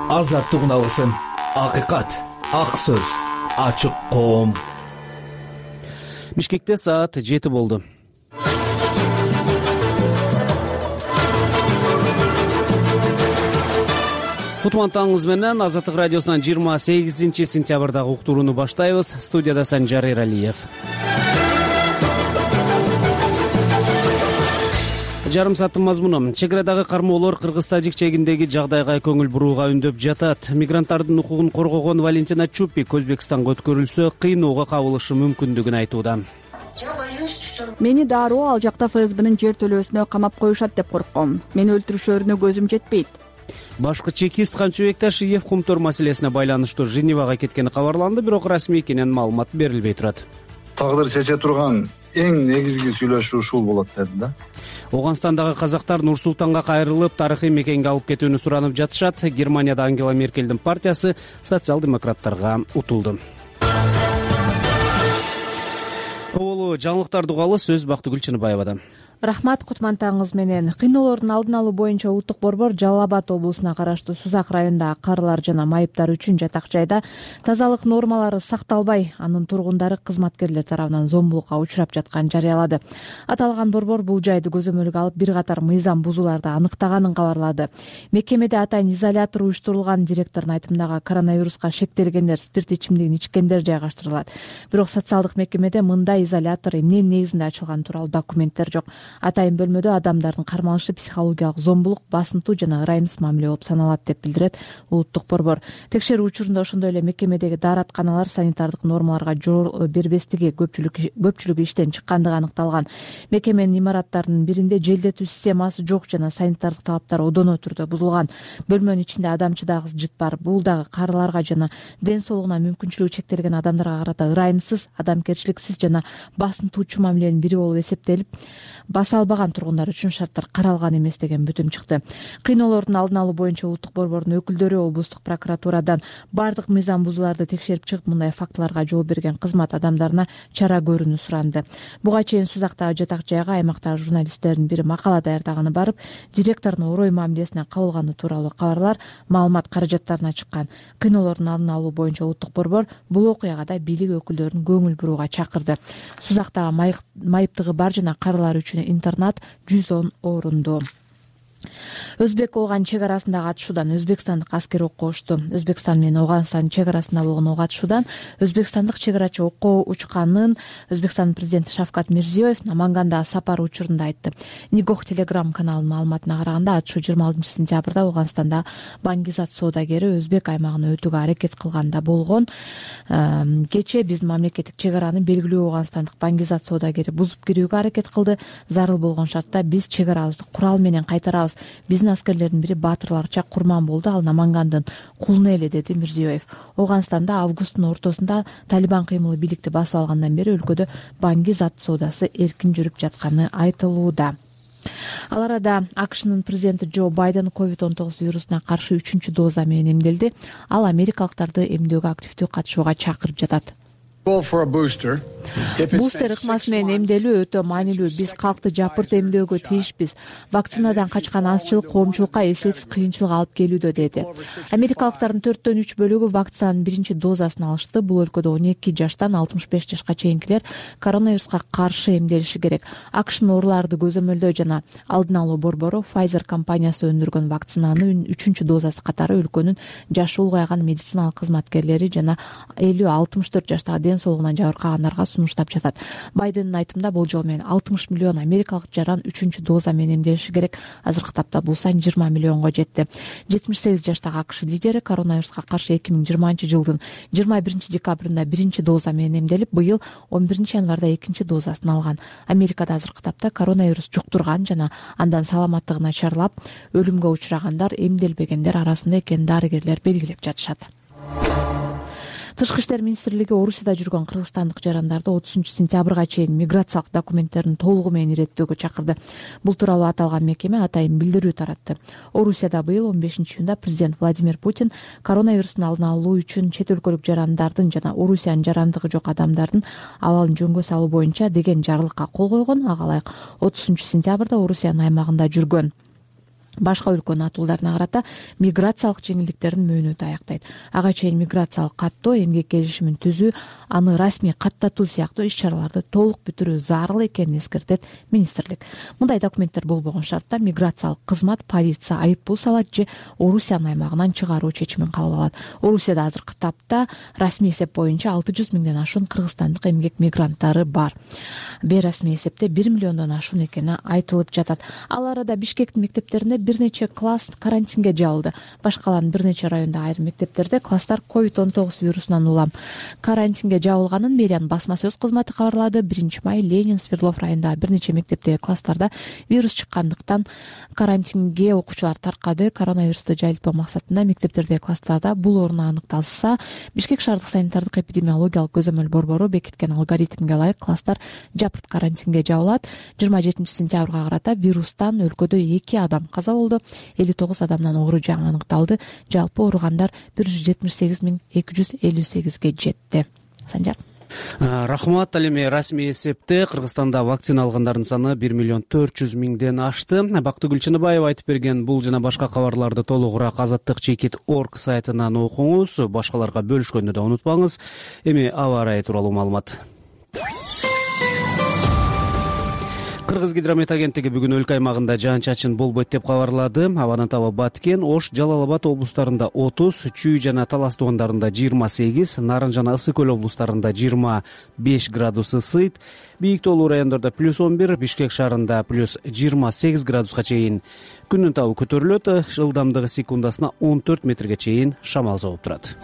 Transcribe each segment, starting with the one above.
азаттык уналысын, акыйкат, ак сөз, ачык коом. Бишкекте саат 7 болду. Кутман менен Азаттык радиосунан 28 сентябрдагы уктурууну баштайбыз. Студияда Санжар Эралиев. Жарым сааттын мазмуну: чек арадагы кармоолор Кыргыз-Тажик чегиндеги жагдайга көңүл бурууга үндөп жатат. Мигранттардын укугун коргогон Валентина Чупик Өзбекстанга өткөрүлсө кыйноого кабылышы мүмкүндүгүн айтууда. Мени дароо ал жакта ФСБнын жер төлөөсүнө камап коюшат деп коркком. Мени өлтүрүшөрүнө көзүм жетпейт. Башкы чекист Камчыбек Ташиев Кумтор маселесине байланыштуу Женевага кеткени кабарланды, бирок расмий экенин маалымат берилбей турат. Тагдыр чече турган эң негизги сүйлөшүү ушул болот деди да. Оганстандагы казактар Нур-Султанга кайрылып, тарыхый мекенге алып кетүүнү суранып жатышат. Германияда Ангела Меркелдин партиясы социал-демократтарга утулду. Оболу жаңылыктарды угалы, сөз Бактыгүл Чыныбаевадан. Рахмат, Кутмантаңыз менен. Кыйноолордун алдын алуу боюнча Улуттук борбор Жалал Абад облусуна караштуу Сузак районундагы карылар жана майыптар үчүн жатак жайда тазалык нормалары сакталбай, анын тургундары кызматкерлер тарабынан зомбулукка учурап жатканын жарыялады. Аталган борбор бул жайды көзөмөлгө алып бир катар мыйзам бузууларды аныктаганын кабарлады. Мекемеде атайын изолятор уюштурулган. Директордун айтымында коронавируска шектелгендер, спирт ичимдигин ичкендер жайгаштырылат. Бирок социалдык мекемеде мындай изолятор эмненин негизинде ачылганы тууралуу документтер жок. Атайын бөлмөдө адамдардын кармалышы психологиялык зомбулук, басынтуу жана ырайымсыз мамиле болуп саналат деп билдирет Улуттук борбор. Текшерүү учурунда ошондой эле мекемедеги дааратканалар санитардык нормаларга жол бербестиги, көпчүлүгү иштен чыккандыгы аныкталган. Мекеменин имараттарынын биринде желдетүү системасы жок жана санитардык талаптар одоно түрдө бузулган. Бөлмөнүн ичинде адамчы дагы жыт бар. Бул дагы карыларга жана ден соолугуна мүмкүнчүлүгү чектелген адамдарга карата ырайымсыз, адамгерчиликсиз жана басынтуучу мамиленин бири болуп эсептелип, баса албаган тургундар үчүн шарттар каралган эмес деген бүтүм чыкты. Кыйноолордун алдын алуу боюнча Улуттук борбордун өкүлдөрү облустук прокуратурадан бардык мыйзам бузууларды текшерип чыгып, мындай фактыларга жол берген кызмат адамдарына чара көрүүнү суранды. Буга чейин Сузактагы жатак жайга аймактагы журналисттердин бири макала даярдаганы барып, директордун орой мамилесине кабылганы тууралуу кабарлар, маалымат каражаттарына чыккан. Кыйноолордун алдын алуу боюнча Улуттук борбор бул окуяга да бийлик өкүлдөрүн көңүл бурууга чакырды. Сузактагы майыптыгы бар жана карылар үчүн интернат 110 орунду. Өзбек Ооган чек арасындагы атышуудан өзбекстандык аскер окко учту. Өзбекстан менен Оганстандын чек арасында болгон ок атышуудан өзбекстандык чек арачы окко учканын Өзбекстандын президенти Шавкат Мирзиёев Намангандагы сапары учурунда айтты. Нигох телеграм каналынын маалыматына караганда, атышуу 26 сентябрда Оганстанда Бангизат соодагери Өзбек аймагына өтүүгө аракет кылганда болгон. Кечээ биздин мамлекеттик чек араны белгилүү Оганстандык Бангизат соодагери бузуп кирүүгө аракет кылды. Зарыл болгон шартта биз чек арабызды курал менен кайтарабыз. Биздин аскерлердин бири баатырларча курман болду, ал Намангандын кулуну эле, деди Мирзиёев. Оганстанда августтун ортосунда Талибан кыймылы бийликти басып алгандан бери өлкөдө Бангизат соодасы эркин жүрүп жатканы айтылууда. Ал арада АКШнын президенти Джо Байден COVID-19 вирусуна каршы 3-чү доза менен эмделди. Ал америкалыктарды эмдөөгө активдүү катышууга чакырып жатат. Бустер ыкмасы менен эмделүү өтө маанилүү. Биз калкты жапырт эмдөөгө тийишпиз. Вакцинадан качкан азчылык коомчулукка эсепсиз кыйынчылык алып келүүдө, деди. Америкалыктардын 4/3 бөлүгү вакцинанын биринчи дозасын алышты. Бул өлкөдө 12 жаштан 65 жашка чейинкилер коронавируска каршы эмделиши керек. АКШнын ооруларды көзөмөлдөө жана алдын алуу борбору Pfizer компаниясы өндүргөн вакцинанын 3-чү дозасы катары өлкөнүн жашы улгайган медициналык кызматкерлери жана 50-64 жаштагы ден соолугунан жабыркагандарга сунуштап жатат. Байдендин айтымында болжол менен 60 миллион америкалык жаран 3-чү доза менен эмделиши керек. Азыркы тапта бул сан 20 миллионго жетти. 78 жаштагы АКШ лидери коронавируска каршы 2020-жылдын 21 декабрында биринчи доза менен эмделип, быйыл 11 январда экинчи дозасын алган. Америкада азыркы тапта коронавирус жуктурган жана андан саламаттыгы начарлап, өлүмгө учурагандар эмделбегендер арасында экенин дарыгерлер белгилеп жатышат. Тышкы иштер министрлиги Орусияда жүргөн кыргызстандык жарандарды 30 сентябрга чейин миграциялык документтерин толугу менен иреттөөгө чакырды. Бул тууралуу аталган мекеме атайын билдирүү таратты. Орусияда быйыл 15-июнда президент Владимир Путин коронавирустун алдын алуу үчүн чет өлкөлүк жарандардын жана Орусиянын жарандыгы жок адамдардын абалын жөнгө салуу боюнча деген жарлыкка кол койгон. Ага ылайык 30 сентябрда Орусиянын аймагында жүргөн башка өлкөнүн атуулдарына карата миграциялык жеңилдиктердин мөөнөтү аяктайт. Ага чейин миграциялык каттоо, эмгек келишимин түзүү, аны расмий каттатуу сыяктуу иш-чараларды толук бүтүрүү зарыл экенин эскертет министрлик. Мындай документтер болбогон шартта миграциялык кызмат, полиция айыппул салат же Орусиянын аймагынан чыгаруу чечимин кабыл алат. Орусияда азыркы тапта расмий эсеп боюнча 600 миңден ашуун кыргызстандык эмгек мигранттары бар. Бейрасмий эсепте 1 миллиондон ашуун экени айтылып жатат. Ал арада Бишкектин мектептеринде бир нече класс карантинге жабылды. Башкалардын бир нече районда айрым мектептерде класстар COVID-19 вирусунан улам карантинге жабылганын мэриянын басма сөз кызматы кабарлады. 1-май Ленин, Свердлов районундагы бир нече мектептеги класстарда вирус чыккандыктан карантинге окуучулар таркады. Коронавирусту жайылтпоо максатында мектептердеги класстарда бул орун аныкталса, Бишкек шаардык санитардык эпидемиологиялык көзөмөл борбору бекиткен алгоритмге ылайык класстар жапырт карантинге жабылат. 27-сентябрга карата вирустан өлкөдө 2 адам каза болду, 59 адамдан оору жаңы аныкталды. Жалпы ооругандар 178.258ге жетти. Санжар. Рахмат. Ал эми расмий эсепте Кыргызстанда вакцина алгандардын саны 1.400.000ден ашты. Бактыгүл Чыныбаева айтып берген бул жана башка кабарларды толугураак azattik.org сайтынан окуңуз. Башкаларга бөлүшкөндү да унутпаңыз. Эми аба ырайы тууралуу маалымат. Кыргызгидромет агенттиги бүгүн өлкө аймагында жаан-чачын болбойт деп кабарлады. Абанын табы Баткен, Ош, Жалал-Абад облустарында 30, Чүй жана Талас туугандарында 28, Нарын жана Ысык көл облустарында 25 градус ысыйт. Бийик тоолуу райондордо +11, Бишкек шаарында +28 градуска чейин күндүн табы көтөрүлөт. Ылдамдыгы секундасына 14 метрге чейин шамал соғуп турат.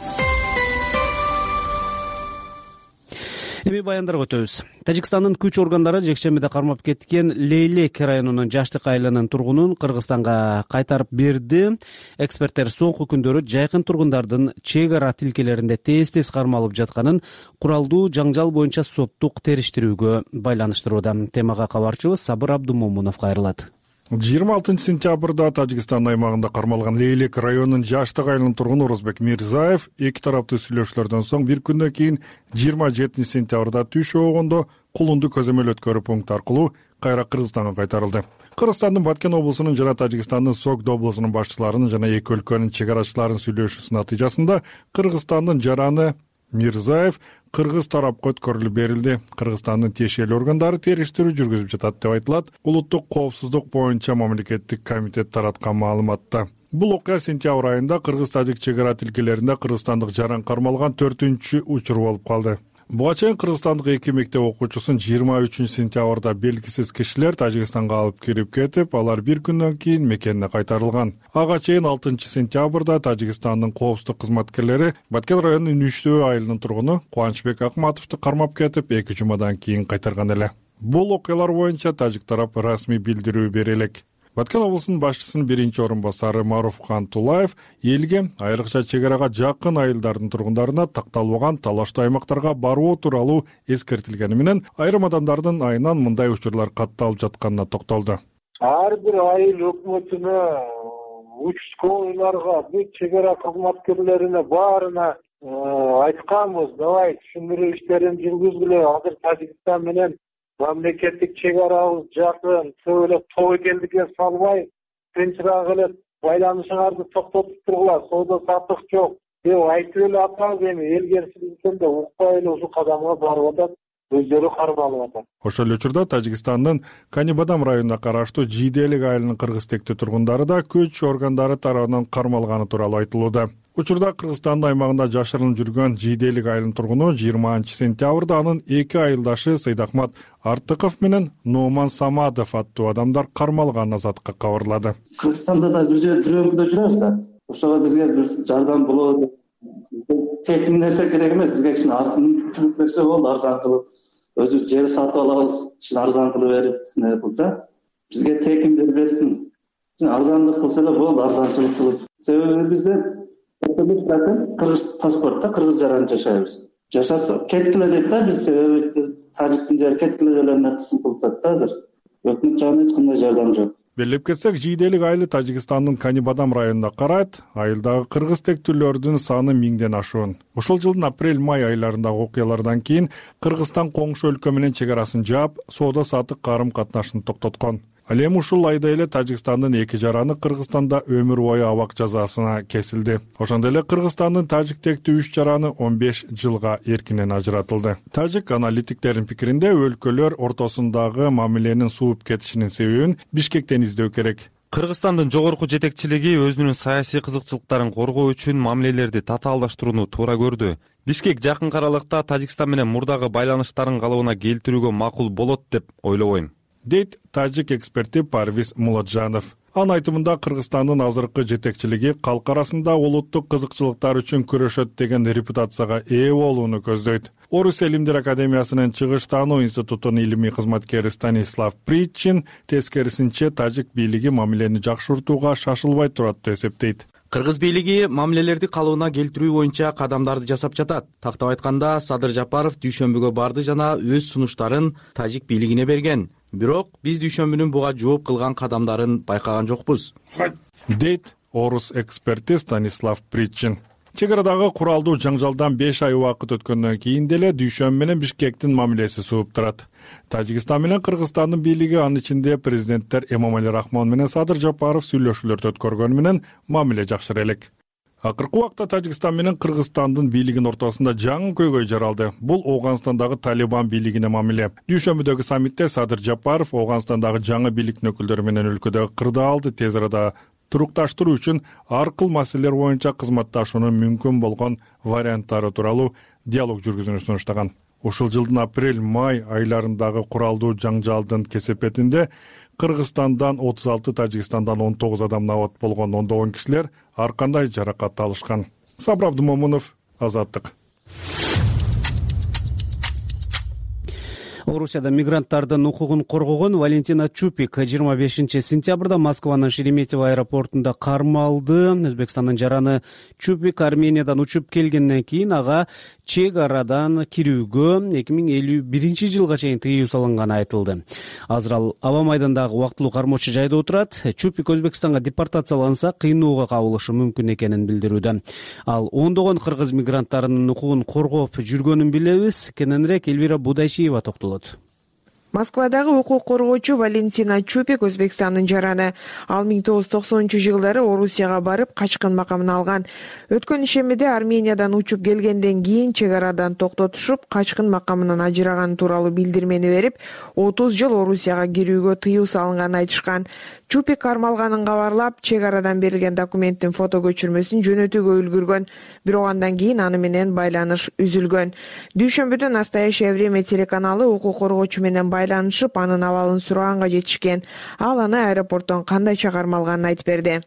Эми баяндарга өтөбүз. Тажикстандын күч органдары жекшембиде кармап кеткен Лейлек районунун Жаштык айылынын тургунун Кыргызстанга кайтарып берди. Эксперттер соңку күндөрү жайкын тургундардын чек ара тилкелеринде тез-тез кармалып жатканын куралдуу жаңжал боюнча соттук териштирүүгө байланыштырууда. Темага кабарчыбыз Сабыр Абдумомунов кайрылат. 26-сентябрда Тажикстан аймагында кармалган Лейлек районунун Жаштык айылынын тургуну Орозбек Мирзаев эки тараптуу сүйлөшүүлөрдөн соң бир күндөн кийин 27-сентябрда түш болгондо Кулунду көзөмөл өткөрүү пункту аркылуу кайра Кыргызстанга кайтарылды. Кыргызстандын Баткен облусунун жана Тажикстандын Согд облусунун башчыларынын жана эки өлкөнүн чек арачыларынын сүйлөшүүсүнүн натыйжасында Кыргызстандын жараны Мирзаев кыргыз тарапка өткөрүлүп берилди. Кыргызстандын тиешелүү органдары териштирүү жүргүзүп жатат деп айтылат. Улуттук коопсуздук боюнча мамлекеттик комитет тараткан маалыматта. Бул окуя сентябрь айында кыргыз-тажик чек ара тилкелеринде кыргызстандык жаран кармалган 4-учur болуп калды. Буга чейин кыргызстандык эки мектеп окуучусун 23-сентябрда белгисиз кишилер Тажикстанга алып кирип кетип, алар бир күндөн кийин мекенине кайтарылган. Ага чейин 6-сентябрда Тажикстандын коопсуздук кызматкерлери Баткен районунун Үчтөө айылынын тургуну Кубанычбек Акматовду кармап кетип, 2 жумадан кийин кайтарган эле. Бул окуялар боюнча тажик тарап расмий билдирүү бере элек. Баткен облусунун башчысынын биринчи орун басары Маруфхан Тулаев элге, айрыкча чек арага жакын айылдардын тургундарына такталбаган талаштуу аймактарга баруу тууралуу эскертилгени менен айрым адамдардын айынан мындай учурлар катталып жатканына токтолду. Ар бир айыл өкмөтүнө, участкаларга, бүт чек ара кызматкерлерине баарына айтканбыз, давай түшүндүрүү иштерин жүргүзгүлө. Азыр Тажикстан менен мамлекеттик чек арабыз жакын, көп эле тоо экендикке салбай, тынчыраак эле байланышыңарды токтотуп тургула, соода саттык жок деп айтып эле атабыз. Эми эл керчиликтен да укпай эле ушул кадамга барып атат, өздөрү кармалып атат. Ошол эле учурда Тажикстандын Канибадам районуна караштуу Жийделик айылынын кыргыз тектүү тургундары да күч органдары тарабынан кармалганы тууралуу айтылууда. Учурда Кыргызстандын аймагында жашырынып жүргөн Жийделик айылынын тургуну 20-сентябрда анын эки айылдашы Сайдахмат Артыков менен Номан Самадов аттуу адамдар кармалганын Азаттыкка кабарлады. Кыргызстанда да бир өлкөдө жүрөбүз да. Ошого бизге бир жардам болот. Тектин нерсе керек эмес, бизге кичине артын нерсе болду, арзан кылып, өзүбүз жер сатып алабыз, кичине арзан кылып берип, не кылса, бизге текин бербесин. Арзандык кылса эле болду, арзанчылык кылып. Себеби бизде кыргыз паспортто кыргыз жаран жашайбыз. Жашаса кеткиле дейт да, биз себеби тажиктин жери кеткиле делене кысым кылып атат да азыр. Өкмөт жагынан эч кандай жардам жок. Белгилеп кетсек, Жийделик айылы Тажикстандын Канибадам районунда карайт. Айылдагы кыргыз тектүүлөрдүн саны 1000ден ашуун. Ушул жылдын апрель-май айларындагы окуялардан кийин Кыргызстан коңшу өлкө менен чек арасын жаап, соода саттык карым катнашын токтоткон. Ал эми ушул айда эле Тажикстандын 2 жараны Кыргызстанда өмүр бою абак жазасына кесилди. Ошондой эле Кыргызстандын тажик тектүү 3 жараны 15 жылга эркинен ажыратылды. Тажик аналитиктердин пикиринде өлкөлөр ортосундагы мамиленин сууп кетишинин себебин Бишкектен издөө керек. Кыргызстандын жогорку жетекчилиги өзүнүн саясий кызыкчылыктарын коргоо үчүн мамилелерди татаалдаштырууну туура көрдү. Бишкек жакынкы аралыкта Тажикстан менен мурдагы байланыштарын калыбына келтирүүгө макул болот деп ойлобойм, дейт тажик эксперти Парвиз Муладжанов. Анын айтымында Кыргызстандын азыркы жетекчилиги калк арасында улуттук кызыкчылыктар үчүн күрөшөт деген репутацияга ээ болууну көздөйт. Орус Элимдер академиясынын чыгыш таануу институтунун илимий кызматкери Станислав Причин тескерисинче тажик бийлиги мамилени жакшыртууга шашылбай турат деп эсептейт. Кыргыз бийлиги мамилелерди калыбына келтирүү боюнча кадамдарды жасап жатат. Тактап айтканда, Садыр Жапаров дүйшөмбүгө барды жана өз сунуштарын тажик бийлигине берген. Бирок биз дүйшөмбүнүн буга жооп кылган кадамдарын байкаган жокпуз, дейт орус эксперти Станислав Причин. Чек арадагы куралдуу жаңжалдан 5 ай убакыт өткөндөн кийин деле Дүйшөмбү менен Бишкектин мамилеси сууп турат. Тажикстан менен Кыргызстандын бийлиги, анын ичинде президенттер Эмомали Рахмон менен Садыр Жапаров сүйлөшүүлөрдү өткөргөнү менен мамиле жакшыра элек. Акыркы убакта Тажикстан менен Кыргызстандын бийлигинин ортосунда жаңы көйгөй жаралды. Бул Ооганстандагы Талибан бийлигине мамиле. Дүйшөмбүдөгү саммитте Садыр Жапаров Ооганстандагы жаңы бийликтин өкүлдөрү менен өлкөдөгү кырдаалды тез арада турукташтыруу үчүн ар кыл маселелер боюнча кызматташуунун мүмкүн болгон варианттары тууралуу диалог жүргүзүүнү сунуштаган. Ушул жылдын апрель-май айларындагы куралдуу жаңжалдын кесепетинде Кыргызстандан 36, Тажикстандан 19 адам набат болгон 10 кишилер ар кандай жаракат алышкан. Сабыр Абдумомунов, Азаттык. Орусияда мигранттардын укугун коргогон Валентина Чупик 25 сентябрда Москванын Шереметьево аэропортунда кармалды. Өзбекстандын жараны Чупик Армениядан учуп келгенден кийин ага чек арадан кирүүгө 2051 жылга чейин тыюу салынганы айтылды. Азыр ал аба майдандагы убактылуу кармоочу жайда отурат. Чупик Өзбекстанга депортацияланса кыйноого кабылышы мүмкүн экенин билдирүүдө. Ал ондогон кыргыз мигранттарынын укугун коргоп жүргөнүн билебиз. Кененирээк Элвира Будайчиева токтолот. Москвадагы укук коргоочу Валентина Чупик Өзбекстандын жараны. Ал 1990-жылдары Орусияга барып качкын макамын алган. Өткөн ишемеде Армениядан учуп келгенден кийин чек арадан токтотушуп, качкын макамынан ажыраган тууралуу билдирмени берип, 30 жыл Орусияга кирүүгө тыюу салынганын айтышкан. Чупик кармалганын кабарлап, чек арадан берилген документтин фото көчүрмөсүн жөнөтүүгө үлгүргөн, бирок андан кийин аны менен байланыш үзүлгөн. Дүйшөмбүдө «Настоящее время» телеканалы укук коргоочу менен байланышып, анын абалын сураганга жетишкен. Ал аны аэропорттон кандайча кармалганын айтып берди.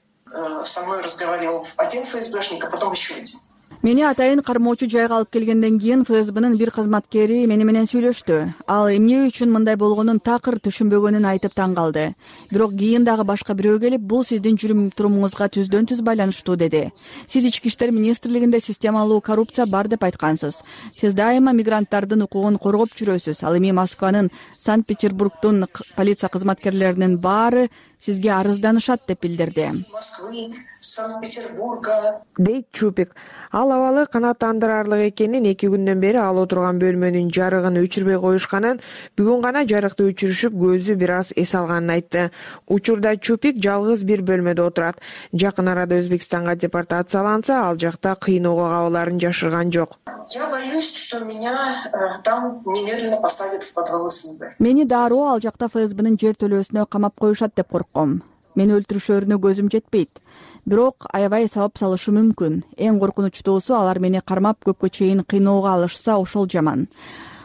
Со мной разговаривал один ФСБшник, а потом еще один. Мени атайын кармоочу жайга алып келгенден кийин ФСБнын бир кызматкери мени менен сүйлөштү. Ал эмне үчүн мындай болгонун такыр түшүнбөгөнүн айтып таң калды. Бирок кийин дагы башка бирөө келип, бул сиздин жүрүм турумуңузга түздөн түз байланыштуу деди. Сиз Ички иштер министрлигинде системалуу коррупция бар деп айткансыз. Сиз дайыма мигранттардын укугун коргоп жүрөсүз. Ал эми Москванын, Санкт-Петербургдун полиция кызматкерлеринин баары сизге арызданышат деп билдирди. Москвы, Санкт-Петербурга, дейт Чупик. Ал абалы канааттандырарлык экенин, 2 күндөн бери ал отурган бөлмөнүн жарыгын өчүрбөй коюшканын, бүгүн гана жарыкты өчүрүшүп, көзү бир аз эс алганын айтты. Учурда Чупик жалгыз бир бөлмөдө отурат. Жакын арада Өзбекстанга депортацияланса, ал жакта кыйноого кабыларын жашырган жок. Я боюсь, что меня там немедленно посадят в подвал СНБ. Мени дароо ал жакта ФСБнын жер төлөөсүнө камап коюшат деп коркком. Мени өлтүрүшөрүнө көзүм жетпейт. Бирок аябай сабап салышы мүмкүн. Эң коркунучтуусу, алар мени кармап көпкө чейин кыйноого алышса, ошол жаман.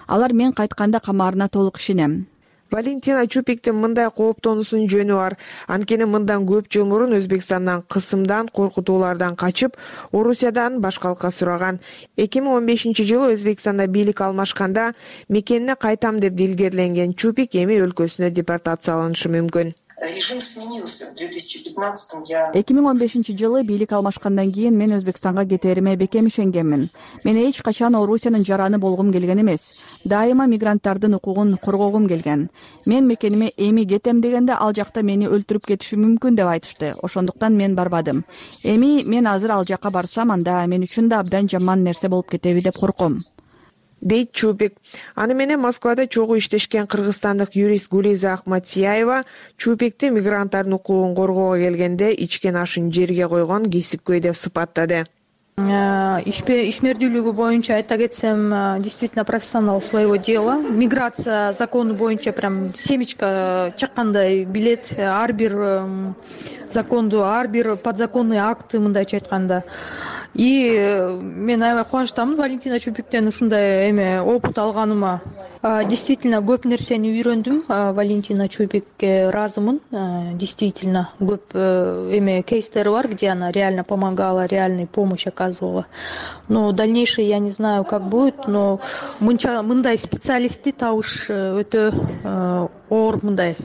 Алар мен кайтканда камаарына толук ишенем. Валентина Чупиктин мындай кооптонуусунун жөнү бар. Анткени мындан көп жыл мурун Өзбекстандан кысымдан, коркутуулардан качып, Орусиядан башкалыкка сураган. 2015-жылы Өзбекстанда бийлик алмашканда мекенине кайтам деп дилгерленген Чупик эми өлкөсүнө депортацияланышы мүмкүн. Режим сменился в 2015-м. 2015-жылы бийлик алмашкандан кийин мен Өзбекстанга кетериме бекем ишенгенмин. Мен эч качан Орусиянын жараны болгум келген эмес. Дайыма мигранттардын укугун коргогум келген. Мен мекениме эми кетем дегенде, ал жакта мени өлтүрүп кетиши мүмкүн деп айтышты. Ошондуктан мен барбадым. Эми мен азыр ал жакка барсам, анда мен үчүн да абдан жаман нерсе болуп кетеби деп корком. дейт Чупик. Аны менен Москвада чогуу иштешкен кыргызстандык юрист Гулиза Ахматияева Чупикти мигранттардын укугун коргоого келгенде ичкен ашын жерге койгон кесипкөй деп сыпаттады. Ишмердүүлүгү боюнча айта кетсем, действительно профессионал своего дела. Миграция закону боюнча прям семечко чаккандай билет. Ар бир законду, ар бир подзаконный акты мындайча айтканда. И мен аябай кубанычтамын Валентина Чупиктен ушундай опыт алганыма. Действительно көп нерсени үйрөндүм. Валентина Чупикке ыраазымын. Действительно көп кейстери бар, где она реально помогала, реальную помощь оказывала. Но дальнейшее я не знаю, как будет, но мындай специалистти табыш өтө оор мындай.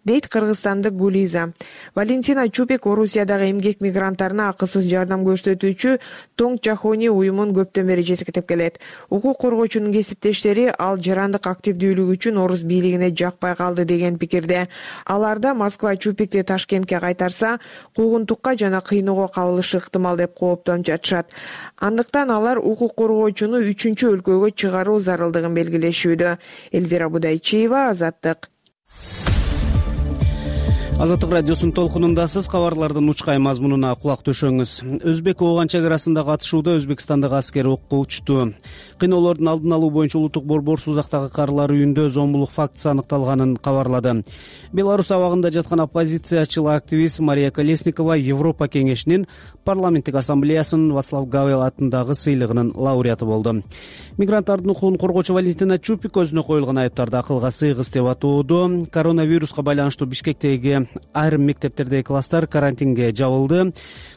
Дейт кыргызстандык Гулиза. Валентина Чупик Орусиядагы эмгек мигранттарына акысыз жардам көрсөтүүчү Тоң Чахони уюмун көптөн бери жетектеп келет. Укук коргоочунун кесиптештери ал жарандык активдүүлүгү үчүн орус бийлигине жакпай калды деген пикирде. Аларда Москва Чупикти Ташкентке кайтарса, куугунтукка жана кыйноого кабылышы ыктымал деп кооптонуп жатышат. Андыктан алар укук коргоочуну 3-чү өлкөгө чыгаруу зарылдыгын белгилешүүдө. Эльвира Будайчиева, Азаттык. Азаттык радиосунун толкунундасыз. Кабарлардын учкай мазмунуна кулак төшөңүз. Өзбек-Ооган чек арасындагы атышууда Өзбекстандагы аскер окко учту. Кыйноолордун алдын алуу боюнча улуттук борбор Сузактагы карылар үйүндө зомбулук фактысы аныкталганын кабарлады. Беларусь абагында жаткан оппозициячыл активист Мария Колесникова Европа кеңешинин парламенттик ассамблеясынын Вацлав Гавел атындагы сыйлыгынын лауреаты болду. Мигранттардын укугун коргоочу Валентина Чупик өзүнө коюлган айыптарды акылга сыйгыз деп атоодо. Коронавируска байланыштуу Бишкектеги айрым мектептердеги класстар карантинге жабылды.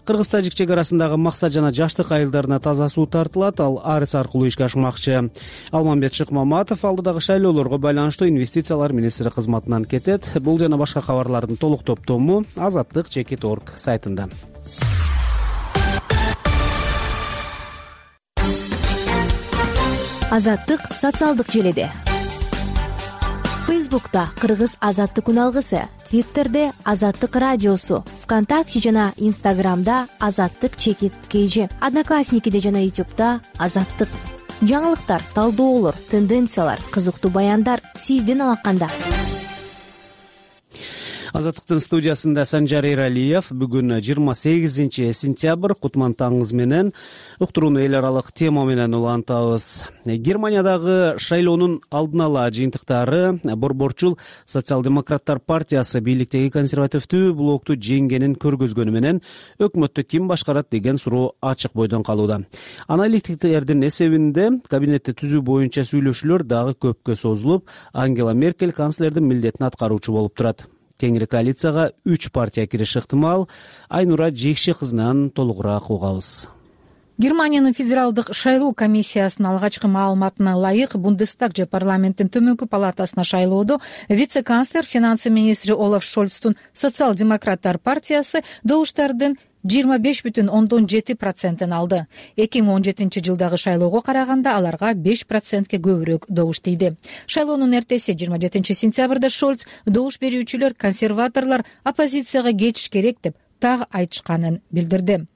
Кыргыз-тажик чек арасындагы максат жана жаштык айылдарына таза суу тартылат. Ал арес аркылуу ишке ашмакчы. Алмамбет Шыкмаматов алдыдагы шайлоолорго байланыштуу инвестициялар министри кызматынан кетет. Бул жана башка кабарлардын толук топтому Азаттык.org сайтында. Азаттык социалдык желеде. Фейсбукта Кыргыз Азаттык үналгысы, Твиттерде Азаттык радиосу, ВКонтакте жана Инстаграмда Азаттык_KG, Одноклассникиде жана Ютубта Азаттык. Жаңылыктар, талдоолор, тенденциялар, кызыктуу баяндар сиздин алаканда. Азаттыктын студиясында Санжар Эралиев. Бүгүн 28 сентябрь, кутман таңыңыз менен уктурууну эл аралык тема менен улантабыз. Германиядагы шайлоонун алдын ала жыйынтыктары борборчул социал-демократтар партиясы бийликтеги консервативдүү блокту жеңгенин көргөзгөнү менен өкмөттү ким башкарат деген суроо ачык бойдон калууда. Аналитиктердин эсебинде кабинетти түзүү боюнча сүйлөшүүлөр дагы көпкө созулуп, Ангела Меркель канцлердин милдетин аткаруучу болуп турат. Кеңири коалицияга 3 партия кириши ыктымал. Айнура Жекши кызынан толугураак угабыз. Германиянын федералдык шайлоо комиссиясынын алгачкы маалыматына ылайык Бундестаг же парламенттин төмөнкү палатасына шайлоодо вице-канцлер, финансы министри Олаф Шольцтун социал-демократтар партиясы добуштардын 25,7% алды. 2017 жылдагы шайлоого караганда аларга 5%ке көбүрөөк добуш тийди. Шайлоонун эртеси 27 сентябрда Шольц добуш берүүчүлөр, консерваторлор оппозицияга кетиш керек деп так айтышканын билдирди.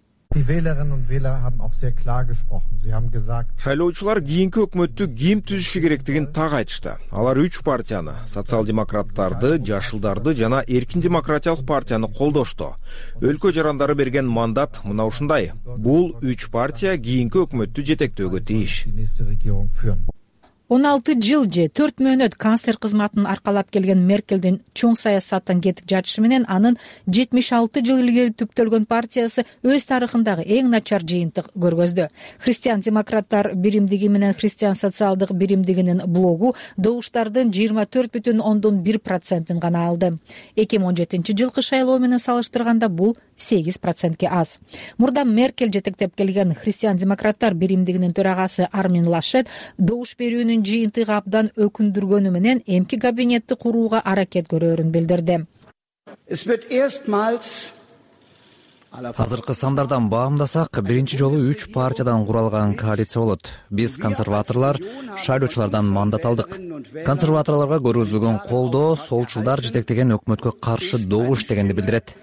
Шайлоочулар кийинки өкмөттү ким түзүшү керектигин так айтышты. Алар 3 партияны, социал-демократтарды, жашылдарды жана эркин демократиялык партияны колдошту. Өлкө жарандары берген мандат мына ушундай. Бул 3 партия кийинки өкмөттү жетектөөгө тийиш. 16 жыл же 4 мөөнөт канцлер кызматын аркалап келген Меркелдин чоң саясаттан кетип жатышы менен анын 76 жыл илгери түптөлгөн партиясы өз тарыхындагы эң начар жыйынтык көргөздү. Христиан-демократтар биримдиги менен Христиан социалдык биримдигинин блогу добуштардын 24,1%ын гана алды. 2017 жылкы шайлоо менен салыштырганда бул 8%ке аз. Мурда Меркель жетектеп келген Христиан-демократтар биримдигинин төрагасы Армин Лашет добуш берүүнүн жыйынтыгы абдан өкүндүргөнү менен эмки кабинетти курууга аракет көрөөрүн билдирди. Азыркы сандардан баамдасак, биринчи жолу 3 партиядан куралган коалиция болот. Биз консерваторлор шайлоочулардан мандат алдык. Консерваторлорго көргөзүлгөн колдоо солчулдар жетектеген өкмөткө каршы добуш дегенди билдирет.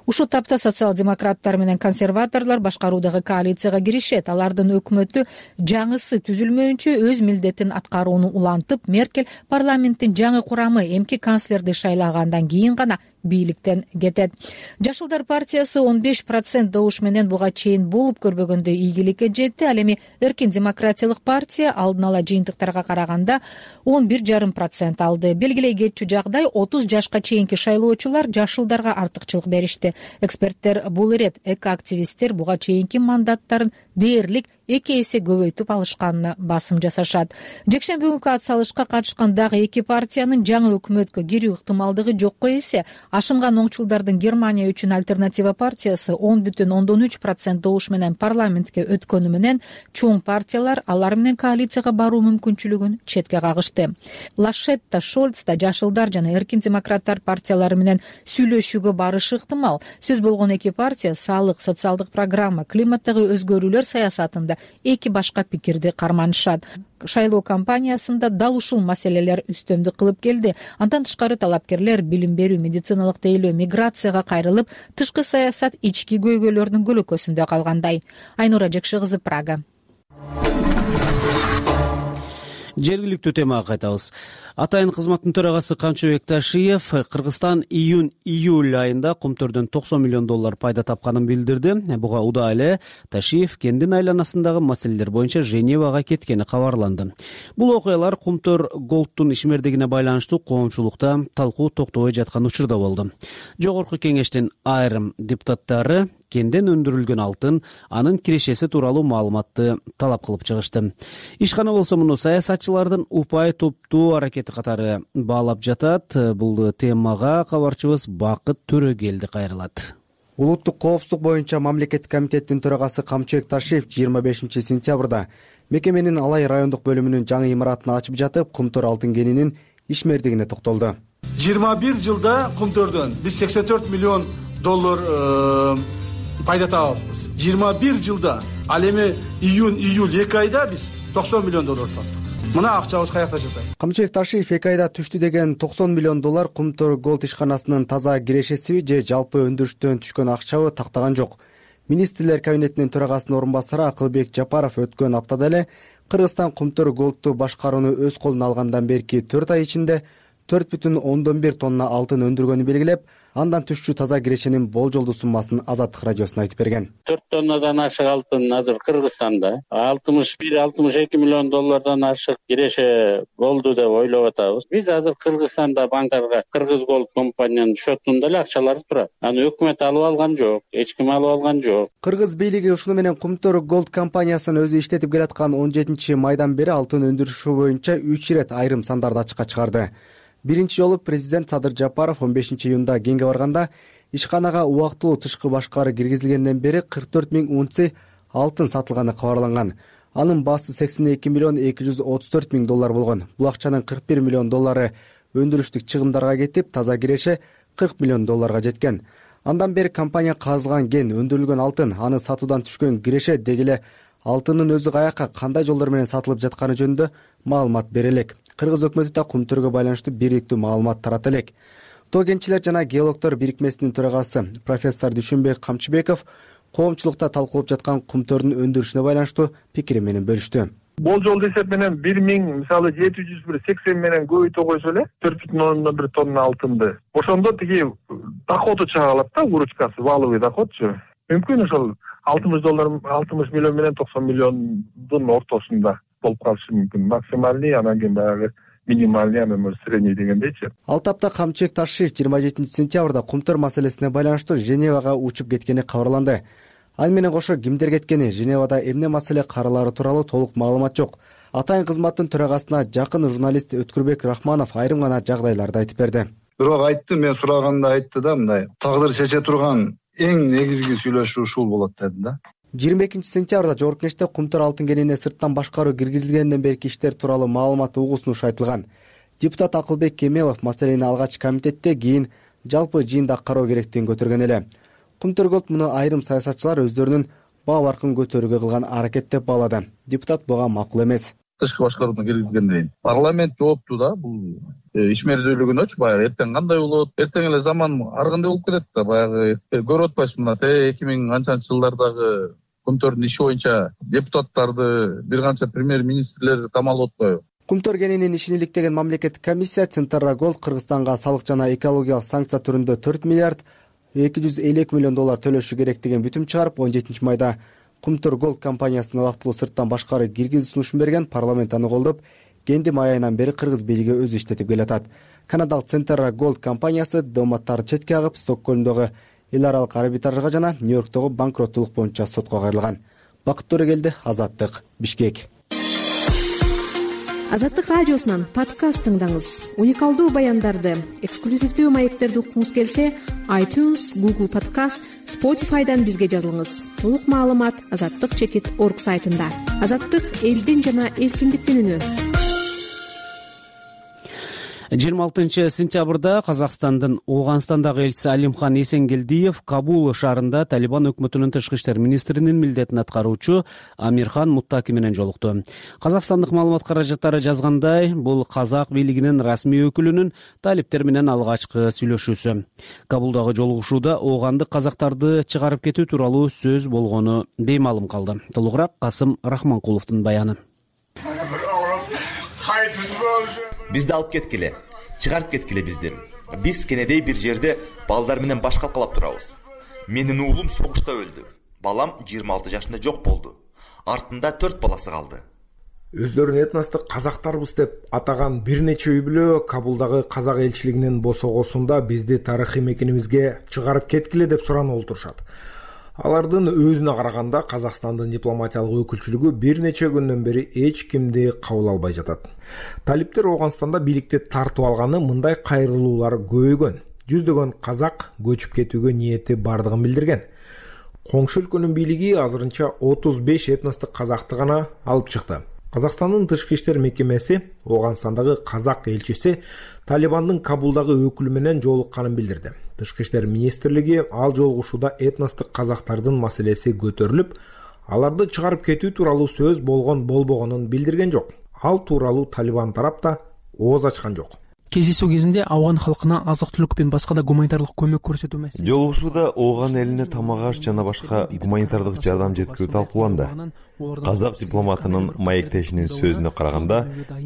ушул тапта социал-демократтар менен консерваторлор башкаруудагы коалицияга киришет. Алардын өкмөтү жаңысы түзүлмөйүнчө өз милдетин аткарууну улантып, Меркель парламенттин жаңы курамы эмки канцлерди шайлагандан кийин гана бийликтен кетет. Жашылдар партиясы 15% добуш менен буга чейин болуп көрбөгөндөй ийгиликке жетти. Ал эми Эркин демократиялык партия алдын ала жыйынтыктарга караганда 11,5% алды. Белгилей кетчү жагдай 30 жашка чейинки шайлоочулар жашылдарга артыкчылык беришти. Эксперттер бул ирет эко-активисттер буга чейинки мандаттарын дээрлик 2 эсе көбөйтүп алышканына басым жасашат. Жекшемби күнкү ат салышка катышкан дагы 2 партиянын жаңы өкмөткө кирүү ыктымалдыгы жокко эсе. Ашынган оңчулдардын Германия үчүн альтернатива партиясы 10,3% добуш менен парламентке өткөнү менен чоң партиялар алар менен коалицияга баруу мүмкүнчүлүгүн четке кагышты. Лашетта, Шольц да жашылдар жана эркин демократтар партиялары менен сүйлөшүүгө барышы ыктымал. Сөз болгон 2 партия салык, социалдык программа, климаттагы өзгөрүүлөр саясатында 2 башка пикирди карманышат. Шайлоо кампаниясында дал ушул маселелер үстөмдүк кылып келди. Андан тышкары талапкерлер билим берүү, медициналык тейлөө, миграцияга кайрылып, тышкы саясат ички көйгөйлөрдүн көлөкөсүндө калгандай. Айнура Жекши кызы, Прага. Жергиликтүү темага кайтабыз. Атайын кызматтын төрагасы Камчыбек Ташиев Кыргызстан июнь-июль айында кумтөрдөн $90 миллион пайда тапканын билдирди. Буга удаа эле Ташиев кендин айланасындагы маселелер боюнча Женевага кеткени кабарланды. Бул окуялар Кумтөр Голдтун ишмердигине байланыштуу коомчулукта талкуу токтобой жаткан учурда болду. Жогорку кеңештин айрым депутаттары кенден өндүрүлгөн алтын, анын кирешеси тууралуу маалыматты талап кылып чыгышты. Ишкана болсо муну саясатчылардын упай топтуу аракети катары баалап жатат. Бул темага кабарчыбыз Бакыт Төрөгелди кайрылат. Улуттук коопсуздук боюнча мамлекеттик комитеттин төрагасы Камчыбек Ташиев 25-сентябрда мекеменин Алай райондук бөлүмүнүн жаңы имаратын ачып жатып, Кумтөр алтын кенинин ишмердигине токтолду. 21 жылда Кумтөрдөн биз $84 миллион пайда табабыз. 21 жылда, ал эми июнь-июль 2 айда биз $90 миллион таптык. Мына акчабыз каякта жатат. Камчыбек Ташиев 2 айда түштү деген $90 миллион Кумтөр Голд ишканасынын таза кирешеси же жалпы өндүрүштөн түшкөн акчабы тактаган жок. Министрлер кабинетинин төрагасынын орун басары Акылбек Жапаров өткөн аптада эле Кыргызстан Кумтөр Голдту башкарууну өз колуна алгандан берки 4 ай ичинде 4,1 тонна алтын өндүргөнү белгилеп, андан түшчү таза кирешенин болжолдуу суммасын Азаттык радиосуна айтып берген. 4 тоннадан ашык алтын азыр Кыргызстанда $61-62 миллион ашык киреше болду деп ойлоп атабыз. Биз азыр Кыргызстанда банкарга Кыргыз Голд компаниянын счетунда эле акчалар турат. Аны өкмөт алып алган жок, эч ким алып алган жок. Кыргыз бийлиги ушуну менен Кумтөр Голд компаниясын өзү иштетип келаткан 17 майдан бери алтын өндүрүшү боюнча 3 ирет айрым сандарды ачыкка чыгарды. Биринчи жолу президент Садыр Жапаров 15 июнда кеңге барганда ишканага убактылуу тышкы башкары киргизилгенден бери 44 000 унция алтын сатылганы кабарланган. Анын баасы $82,234 000 болгон. Бул акчанын $41 миллион өндүрүштүк чыгымдарга кетип, таза киреше $40 миллион жеткен. Андан бери компания казылган кен, өндүрүлгөн алтын, аны сатуудан түшкөн киреше деги эле алтындын өзү каяка, кандай жолдор менен сатылып жатканы жөнүндө маалымат бере элек. Кыргыз өкмөтү да Кумтөргө байланыштуу бириктүү маалымат тарата элек. Тоо кенчилер жана геологдор бирикмесинин төрагасы профессор Дүйшөнбек Камчыбеков коомчулукта талкуулап жаткан Кумтөрдүн өндүрүшүнө байланыштуу пикири менен бөлүштү. Болжол эсеп менен 1780 менен көбөйтө койсо эле 4,1 тонна алтынды. Ошондо тиги доходу чыга калат да, выручкасы, валовый доходчу. Мүмкүн ошол $60 миллион менен $90 миллиондун ортосунда болуп калышы мүмкүн. Максимальный, анан кийин баягы минимальный, анан средний дегендейчи. Ал тапта Камчыбек Ташиев 27-сентябрда Кумтөр маселесине байланыштуу Женевага учуп кеткени кабарланды. Ал менен кошо кимдер кеткени, Женевада эмне маселе каралары тууралуу толук маалымат жок. Атайын кызматтын төрагасына жакын журналист Өткүрбек Рахманов айрым гана жагдайларды айтып берди. Бирок айтты, мен сураганда айтты да, мындай тагдыр чече турган эң негизги сүйлөшүү ушул болот деди да. 22-сентябрда Жогорку Кеңеште Кумтөр алтын кенине сырттан башкаруу киргизилгенден берки иштер тууралуу маалымат угусунуш айтылган. Депутат Акылбек Кемелов маселени алгач комитетте, кийин жалпы жыйында кароо керектигин көтөргөн эле. Кумтөр Голд муну айрым саясатчылар өздөрүнүн баа баркын көтөрүүгө кылган аракет деп баалады. Депутат буга макул эмес. тышкы башкарууна киргизгенден кийин парламент жоопту да бул ишмердүүлүгүнөчү. Баягы эртең кандай болот, эртең эле заман ар кандай болуп кетет да. Баягы көрүп атпайсызбы, мына 2000 канчанчы жылдардагы Кумтөрдүн иши боюнча депутаттарды бир канча премьер-министрлерди камалып атпайбы? Кумтөр кененин ишин иликтеген мамлекеттик комиссия Центрра Голд Кыргызстанга салык жана экологиялык санкция түрүндө 4 миллиард 252 миллион доллар төлөшү керек деген бүтүм чыгарып, 17 майда Кумтөр Голд компаниясына убактылуу сырттан башкары киргизүү сунушун берген. Парламент аны колдоп, кендим айынан бери кыргыз бийлиги өзү иштетип келатат. Канадалык Центрра Голд компаниясы дипломаттарды четке агып, Стокгольмдогу эл аралык арбитражга жана Нью-Йорктогу банкроттулук боюнча сотко кайрылган. Бакыт Төрөгелди, Азаттык, Бишкек. Азаттык радиосунан подкаст тыңдаңыз. Уникалдуу баяндарды, эксклюзивдүү маектерди уккуңуз келсе, iTunes, Google Podcast, Spotify'дан бизге жазылыңыз. Толук маалымат azattik.org сайтында. Азаттык — элдин жана эркиндиктин үнү. 26 сентябрда Казакстандын Ооганстандагы элчиси Алимхан Эсенгелдиев Кабул шаарында Талибан өкмөтүнүн тышкы иштер министринин милдетин аткаруучу Амирхан Муттаки менен жолукту. Казакстандык маалымат каражаттары жазгандай, бул казак бийлигинин расмий өкүлүнүн талиптер менен алгачкы сүйлөшүүсү. Кабулдагы жолугушууда оогандык казактарды чыгарып кетүү тууралуу сөз болгону беймаалым калды. Толугураак Касым Рахманкуловдун баяны. Бизди алып кеткиле, чыгарып кеткиле бизди. Биз кенедей бир жерде балдар менен баш калкалап турабыз. Менин уулум согушта өлдү. Балам 26 жашында жок болду. Артында 4 баласы калды. Өздөрүн этностук казактарбыз деп атаган бир нече үй бүлө Кабулдагы казак элчилигинин босогосунда бизди тарыхый мекенибизге чыгарып кеткиле деп суранып олтурушат. Алардын өзүнө караганда Казакстандын дипломатиялык өкүлчүлүгү бир нече күндөн бери эч кимди кабыл албай жатат. Талиптер Ооганстанда бийликти тартып алганы мындай кайрылуулар көбөйгөн. Жүздөгөн казак көчүп кетүүгө ниети бардыгын билдирген. Коңшу өлкөнүн бийлиги азырынча 35 этностук казакты гана алып чыкты. Казакстандын тышкы иштер мекемеси Ооганстандагы казак элчиси Талибандын Кабулдагы өкүлү менен жолукканын билдирди. Тышкы иштер министрлиги ал жолугушууда этностук казактардын маселеси көтөрүлүп, аларды чыгарып кетүү тууралуу сөз болбогонун билдирген жок. Ал тууралуу Талибан тарап да ооз ачкан жок. Кездесүү кезинде ауган халкына азык-түлүк менен башка да гуманитардык көмөк көрсөтүү маселеси. Жолугушууда ооган элине тамак аш жана башка гуманитардык жардам жеткирүү талкууланды. Казак дипломатынын маектешинин сөзүнө караганда,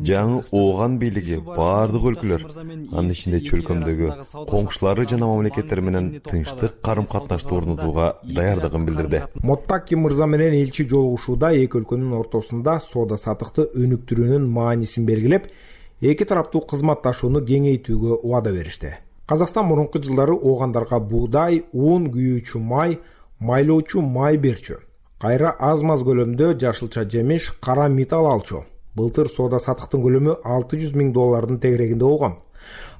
жаңы ооган бийлиги баардык өлкөлөр, анын ичинде чөлкөмдөгү коңшулары жана мамлекеттер менен тынчтык карым-катнашты орнотууга даярдыгын билдирди. Моттаки мырза менен элчи жолугушууда эки өлкөнүн ортосунда соода саттыкты өнүктүрүүнүн маанисин белгилеп, эки тараптуу кызматташууну кеңейтүүгө убада беришти. Казакстан мурунку жылдары оогандарга буудай, ун, күйүүчү май, майлоочу май берчү. Кайра аз-маз көлөмдө жашылча жемиш, кара металл алчу. Былтыр соода саттыктын көлөмү $600 000 тегерегинде болгон.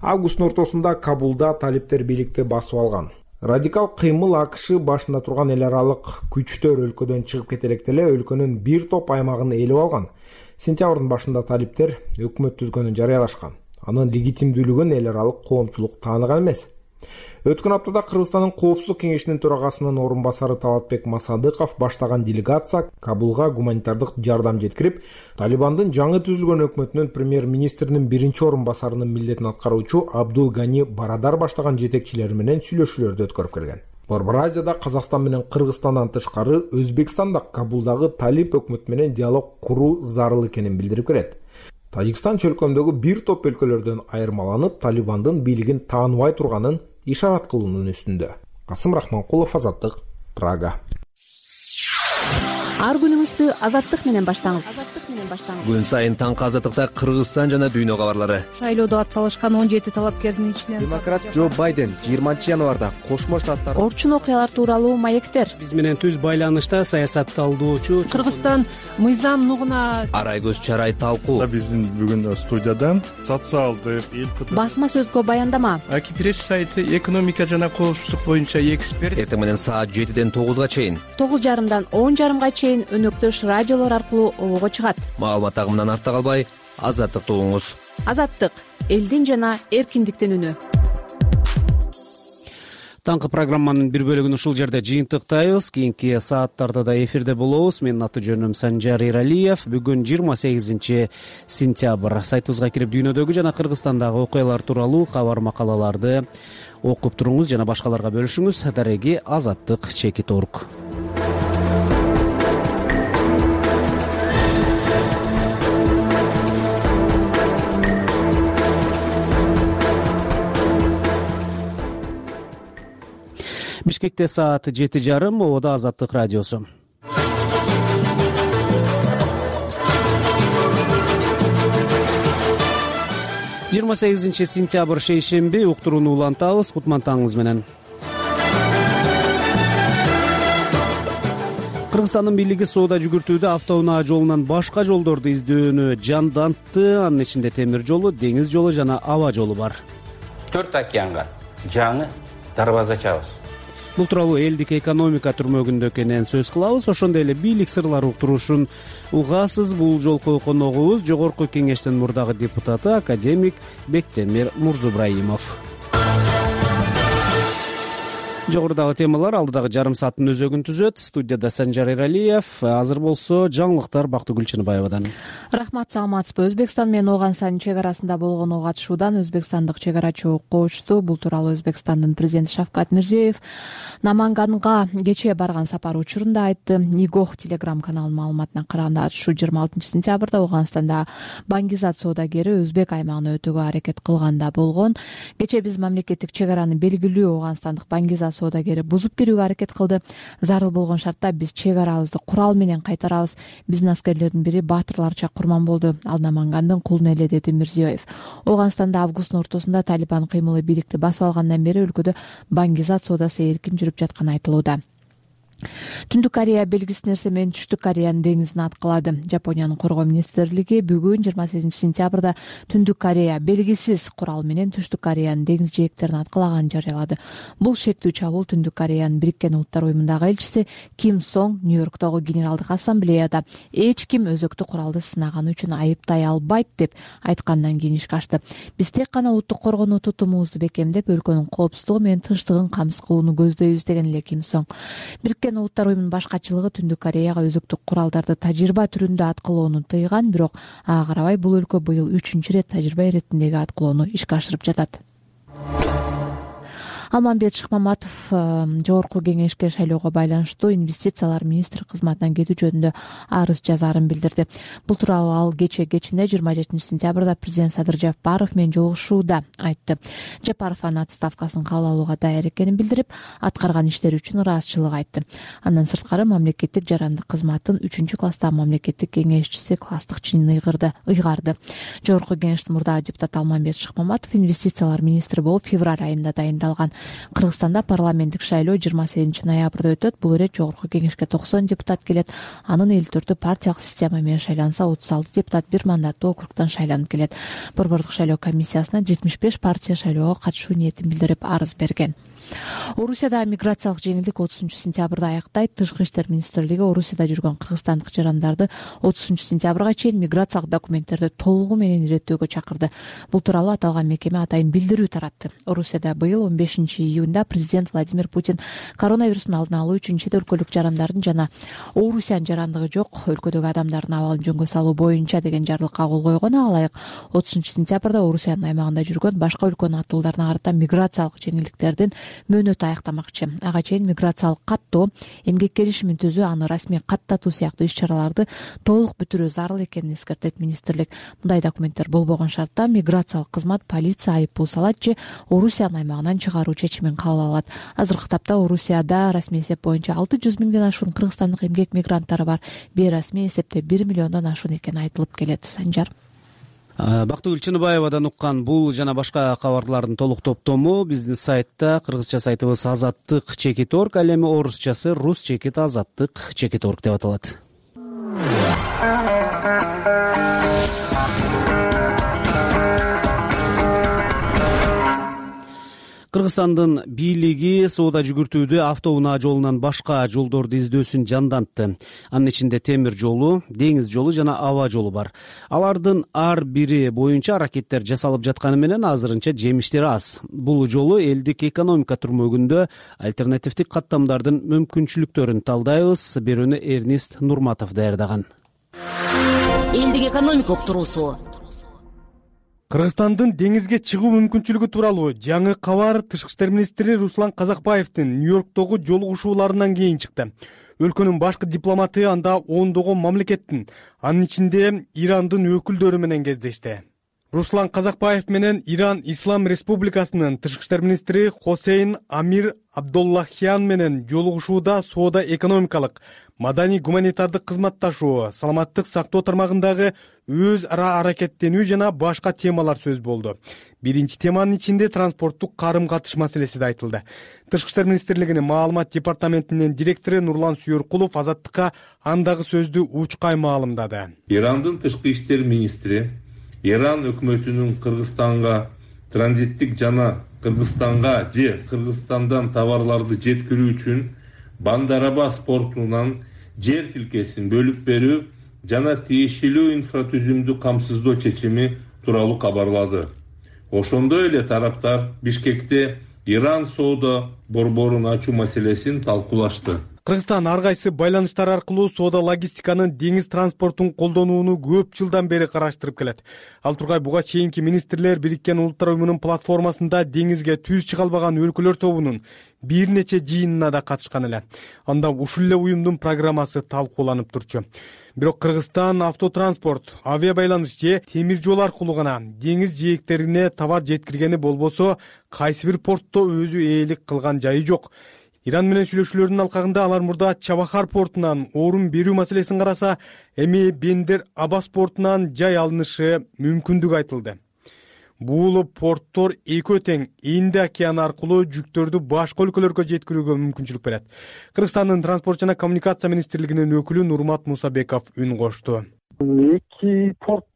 Августтун ортосунда Кабулда талиптер бийликти басып алган. Радикал кыймыл АКШ башында турган эл аралык күчтөр өлкөдөн чыгып кетелек деле өлкөнүн бир топ аймагын ээлеп алган. Сентябрдын башында талиптер өкмөт түзгөнүн жарыялашкан. Анын легитимдүүлүгүн эл аралык коомчулук тааныган эмес. Өткөн аптада Кыргызстандын Коопсуздук кеңешинин төрагасынын орун басары Талатбек Масадыков баштаган делегация Кабулга гуманитардык жардам жеткирип, Талибандын жаңы түзүлгөн өкмөтүнүн премьер-министринин биринчи орун басарынын милдетин аткаруучу Абдул Гани Барадар баштаган жетекчилери менен сүйлөшүүлөрдү өткөрүп келген. Борбор Азияда Казакстан менен Кыргызстандан тышкары Өзбекстан да Кабулдагы талип өкмөт менен диалог куруу зарыл экенин билдирип келет. Тажикстан чөлкөмдөгү бир топ өлкөлөрдөн айырмаланып, Талибандын бийлигин тааныбай турганын ишарат кылуунун үстүндө. Касым Рахманкулов, Азаттык, Прага. Ар күнүңүздү Азаттык менен баштаңыз. Күн сайын таңкы Азаттыкта Кыргызстан жана дүйнө кабарлары. Шайлоодо атсалышкан 17 талапкердин ичинен демократ Джо Байден 20 январда Кошмо Штаттар орчун окуялар тууралуу маектер. Биз менен түз байланышта саясатталдоочу Кыргызстан мыйзам нугуна Арайгөз Чарай талкуу. Биздин бүгүн студиядан социалдык басма сөзгө баяндама. Аки пресс сайты экономика жана коопсуздук боюнча эксперт. Эртең менен саат 7-ден 9-га чейин, 9:30дан 10:30га чейин өнөктөш радиолор аркылуу обого чыгат. Маалымат агымынан артта калбай, Азаттыкты угуңуз. Азаттык — элдин жана эркиндиктин үнү. Таңкы программанын бир бөлүгүн ушул жерде жыйынтыктайбыз. Кийинки сааттарда да эфирде болобуз. Менин аты жөнүм Санжар Эралиев. Бүгүн 28 сентябрь. Сайтыбызга кирип дүйнөдөгү жана Кыргызстандагы окуялар тууралуу кабар макалаларды окуп туруңуз жана башкаларга бөлүшүңүз. Дареги Азаттык Чекит Орг. Бишкекте саат 7:30, Ободо Азаттык радиосу. Жыйырма 28 сентябрь шейшемби, уктурууну улантабыз. Кутмантаңыз менен. Кыргызстандын бийлиги соода жүгүртүүдө автоунаа жолунан башка жолдорду издөөнү жандантты. Анын ичинде темир жолу, деңиз жолу жана аба жолу бар. 4 океанга жаңы дарбаза ачабыз. Бул тууралуу элдик экономика түрмөгүндө экенин сөз кылабыз. Ошондой эле бийлик сырлары уктуруушун угасыз. Бул жолку коногубуз Жогорку Кеңештин мурдагы депутаты академик Бектемир Мурзубраимов. Жогорудагы темалар алдыдагы жарым сааттын өзөгүн түзөт. Студияда Санжар Эралиев. Азыр болсо жаңылыктар Бактыгүл Чыныбаевадан. Рахмат, саламатсызбы. Өзбекстан менен Ооганстандын чек арасында болгон ок атышуудан өзбекстандык чек арачы кочту. Бул тууралуу Өзбекстандын президенти Шавкат Мирзиёев Наманганга кечээ барган сапары учурунда айтты. Нигох телеграм каналынын маалыматына караганда атышуу 26 сентябрда Ооганстанда Бангизат соодагери Өзбек аймагына өтүүгө аракет кылганда болгон. Кечээ биз мамлекеттик чек араны белгилүү Ооганстандык Бангизат соодагери бузуп кирүүгө аракет кылды. Зарыл болгон шартта биз чек арабызды курал менен кайтарабыз. Биздин аскерлердин бири баатырларча курман болду. Ал Намангандын кулуна эле, деди Мирзиёев. Ооганстанда августтун ортосунда Талибан кыймылы бийликти басып алгандан бери өлкөдө Бангизат соодасы эркин жүрүп жатканы айтылууда. Түндүк Корея белгисиз нерсе менен Түштүк Кореянын деңизин аткылады. Жапониянын коргоо министрлиги бүгүн 28 сентябрда Түндүк Корея белгисиз курал менен Түштүк Кореянын деңиз жээктерин аткылаганын жарыялады. Бул шектүү чабуул Түндүк Кореянын Бириккен Улуттар уюмундагы элчиси Ким Сонг Нью-Йорктогу Генералдык ассамблеяда эч ким өзөктүк куралды сынаганы үчүн айыптай албайт деп айткандан кийин ишке ашты. Биз тек гана улуттук коргонуу тутумубузду бекемдеп, өлкөнүн коопсуздугу менен тынчтыгын камсыз кылууну көздөйбүз, деген эле Ким Сонг. Бириккен Улуттар уюмунун башкачылыгы Түндүк Кореяга өзөктүк куралдарды тажрыйба түрүндө аткылоону тыйган, бирок ага карабай бул өлкө быйыл 3-чү рет тажрыйба иретиндеги аткылоону ишке ашырып жатат. Алмамбет Шыкмаматов Жогорку Кеңешке шайлоого байланыштуу инвестициялар министри кызматынан кетүү жөнүндө арыз жазаарын билдирди. Бул тууралуу ал кечинде 27 сентябрда президент Садыр Жапаров менен жолугушууда айтты. Жапаров анын отставкасын кабыл алууга даяр экенин билдирип, аткарган иштери үчүн ыраазычылык айтты. Андан сырткары мамлекеттик жарандык кызматтын 3-класстагы мамлекеттик кеңешчиси класстык чынын ыйгарды. Жогорку Кеңештин мурдагы депутаты Алмамбет Шыкмаматов инвестициялар министри болуп февраль айында дайындалган. Кыргызстанда парламенттик шайлоо 28 ноябрда өтөт. Бул ирет Жогорку Кеңешке 90 депутат келет. Анын 54-ü партиялык система менен шайланса, 36 депутат бир мандаттуу округтан шайланып келет. Борбордук шайлоо комиссиясына 75 партия шайлоого катышуу ниетин билдирип арыз берген. Орусияда миграциялык жеңилдик 30 сентябрда аяктайт. Тышкы иштер министрлиги Орусияда жүргөн кыргызстандык жарандарды 30 сентябрга чейин миграциялык документтерди толугу менен иреттөөгө чакырды. Бул тууралуу аталган мекеме атайын билдирүү таратты. Орусияда быйыл 15 июнда президент Владимир Путин коронавирустун алдын алуу үчүн чет өлкөлүк жарандардын жана Орусиянын жарандыгы жок өлкөдөгү адамдардын абалын жөнгө салуу боюнча деген жарлыкка кол койгон. Ага ылайык 30 сентябрда Орусиянын аймагында жүргөн башка өлкөнүн аттуулдарына карата миграциялык жеңилдиктердин мөөнөтү аяктамакчы. Ага чейин миграциялык каттоо, эмгек келишимин түзүү, аны расмий каттатуу сыяктуу иш-чараларды толук бүтүрүү зарыл экенин эскертет министрлик. Мындай документтер болбогон шартта миграциялык кызмат полиция айыппул салат же Орусиянын аймагынан чыгаруу чечимин кабыл алат. Азыркы тапта Орусияда расмий эсеп боюнча 600 миңден ашуун кыргызстандык эмгек мигранттары бар. Бейрасмий эсепте 1 миллиондон ашуун экени айтылып келет. Санжар. Бактыгүл Чыныбаевадан уккан бул жана башка кабарлардын толук топтому биздин сайтта, кыргызча сайтыбыз Азаттык Чекит Орг, ал эми орусчасы Рус Чекит Азаттык Чекит Орг деп аталат. Кыргызстандын бийлиги соода жүгүртүүдө автоунаа жолунан башка жолдорду издөөсүн жандантты. Анын ичинде темир жолу, деңиз жолу жана аба жолу бар. Алардын ар бири боюнча аракеттер жасалып жатканы менен азырынча жемиштери аз. Бул жолу элдик экономика түрмөгүндө альтернативдик каттамдардын мүмкүнчүлүктөрүн талдайбыз. Берүүнү Эрнист Нурматов даярдаган. Элдик экономика уктуруусу. Кыргызстандын деңизге чыгуу мүмкүнчүлүгү тууралуу жаңы кабар Тышкы иштер министри Руслан Казакбаевдин Нью-Йорктогу жолугушууларынан кийин чыкты. Өлкөнүн башкы дипломаты анда ондогон мамлекеттин, анын ичинде Ирандын өкүлдөрү менен кездешти. Руслан Казакбаев менен Иран Ислам Республикасынын Тышкы иштер министри Хосейн Амир Абдуллахян менен жолугушууда соода экономикалык, маданий гуманитардык кызматташуу, саламаттык сактоо тармагындагы өз ара аракеттенүү жана башка темалар сөз болду. Биринчи теманын ичинде транспорттук карым-катыш маселеси да айтылды. Тышкы иштер министрлигинин маалымат департаментинин директору Нурлан Сүйөркулов Азаттыкка андагы сөздү учкай маалымдады. Ирандын тышкы иштер министри Иран өкмөтүнүн Кыргызстанга транзиттик жана Кыргызстанга же Кыргызстандан товарларды жеткирүү үчүн Бандар-Аббас портунан жер тилкесин бөлүп берүү жана тиешелүү инфратүзүмдү камсыздоо чечими тууралуу кабарлады. Ошондой эле тараптар Бишкекте Иран соода борборун ачуу маселесин талкуулашты. Кыргызстан ар кайсы байланыштар аркылуу соода логистиканын деңиз транспортун колдонууну көп жылдан бери караштырып келет. Ал тургай буга чейинки министрлер Бириккен Улуттар уюмунун платформасында деңизге түз чыга албаган өлкөлөр тобунун бир нече жыйынына да катышкан эле. Анда ушул эле уюмдун программасы талкууланып турчу. Бирок Кыргызстан автотранспорт, авиа байланыш же темир жол аркылуу гана деңиз жээктерине товар жеткиргени болбосо, кайсы бир портто өзү ээлик кылган жайы жок. Иран менен сүйлөшүүлөрдүн алкагында алар мурда Чабахар портунан орун берүү маселесин караса, эми Бендер-Аббас портунан жай алынышы мүмкүндүгү айтылды. Бул порттор экөө тең Инди океаны аркылуу жүктөрдү башка өлкөлөргө жеткирүүгө мүмкүнчүлүк берет. Кыргызстандын транспорт жана коммуникация министрлигинин өкүлү Нурмат Мусабеков үн кошту. Эки порт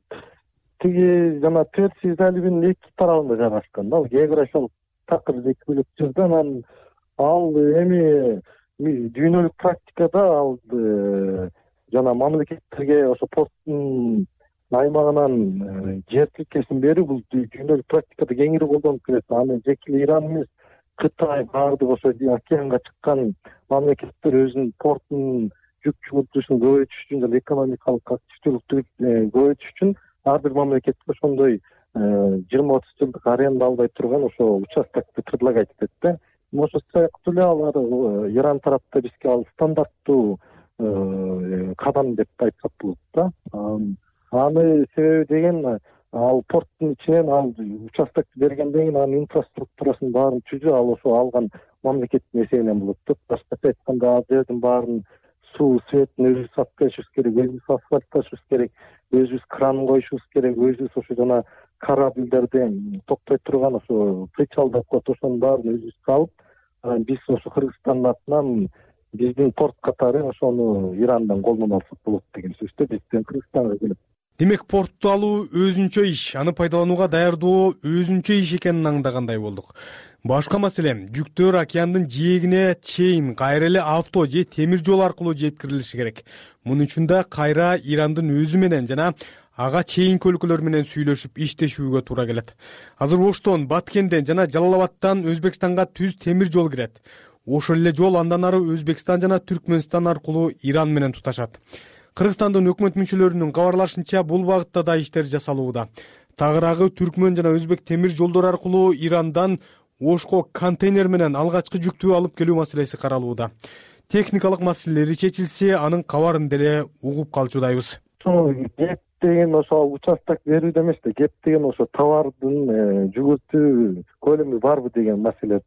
тиги жана Персия заливинин эки тарабында жайгашкан. Ал географиялык такыр эки бөлөк жерде, анан ал эми дүйнөлүк практикада ал жана мамлекеттерге ошо порттун аймагынан жер тилкесин берүү бул дүйнөлүк практикада кеңири колдонуп келет. Аны жеке Иран эмес, Кытай баардык ошо океанга чыккан мамлекеттер өзүнүн портунун жүк чыгуутушун көбөйтүш үчүн жана экономикалык активдүүлүктү көбөйтүш үчүн ар бир мамлекетке ошондой 20-30 жылдык аренда албай турган ошо участокты предлагать этет да. Ошо сыяктуу эле алар Иран тарапта бизге ал стандарттуу кадам деп айтсак болот да. Аны себеби деген ал порттун ичинен ал участокты бергенден кийин анын инфраструктурасын баарын түзүү ал ошо алган мамлекеттин эсебинен болот да. Башкача айтканда ал жердин баарын суу светин өзүбүз сатып беришибиз керек, өзүбүз асфальтташыбыз керек, өзүбүз кран коюшубуз керек, өзүбүз ошо жана корабльдерди токтой турган ошо причал деп коет, ошонун баарын өзүбүз салып, биз ошо Кыргызстандын атынан биздин порт катары ошону Ирандан колдоно алсак болот деген сөздө бизден Кыргызстанга келип. Демек портто алуу өзүнчө иш, аны пайдаланууга даярдоо өзүнчө иш экенин аңдагандай болдук. Башка маселе жүктөр океандын жээгине чейин кайра эле авто же темир жол аркылуу жеткирилиши керек. Муну үчүн да кайра Ирандын өзү менен жана ага чейинки өлкөлөр менен сүйлөшүп иштешүүгө туура келет. Азыр Оштон, Баткенден жана Жалал-Абадтан Өзбекстанга түз темир жол кирет. Ошол эле жол андан ары Өзбекстан жана Түркмөнстан аркылуу Иран менен туташат. Кыргызстандын өкмөт мүчөлөрүнүн кабарлашынча бул багытта да иштер жасалууда. Тагыраагы Түркмөн жана Өзбек темир жолдору аркылуу Ирандан Ошко контейнер менен алгачкы жүктү алып келүү маселеси каралууда. Техникалык маселелери чечилсе, анын кабарын деле угуп калчудайбыз. Кеп деген ошо участок берүүдө эмес да, кеп деген ошо товардын жүгүртүү көлөмү барбы деген маселе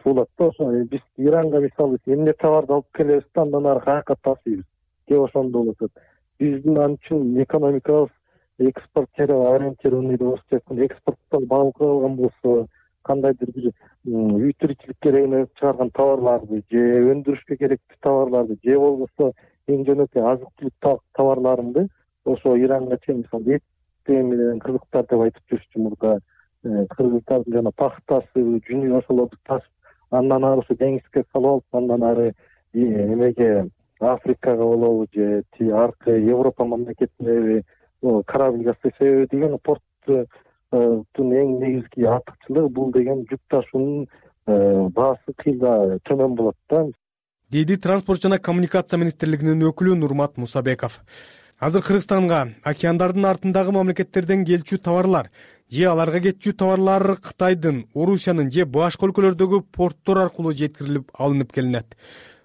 болот да. Ошо биз Иранга мисалы эмне товарды алып келебиз да, андан ары каяка тасыйбыз. Кеп ошондо болот. Биздин ал үчүн экономикабыз ориентированный болуш керек. Экспорттон багып алган болсо, кандайдыр бир үй тиричилик керегине чыгарган товарларды же өндүрүшкө керектүү товарларды же болбосо эң жөнөкөй азык-түлүк товарларынды ошо Иранга чейин мисалы эт менен кызыктар деп айтып жүрчү мурда Кыргызстандын жана Пахтасы, Жүнү ошолорду ташып, андан ары ушу деңизге салып алып, андан ары эмеге Африкага болобу же аркы Европа мамлекетине корабль себеби деген порттун эң негизги артыкчылыгы бул деген жүк ташуунун баасы кыйла төмөн болот да, деди Транспорт жана коммуникация министрлигинин өкүлү Нурмат Мусабеков. Азыр Кыргызстанга океандардын артындагы мамлекеттерден келчү товарлар же аларга кетчү товарлар Кытайдын, Орусиянын же башка өлкөлөрдөгү порттор аркылуу жеткирилип алынып келинет.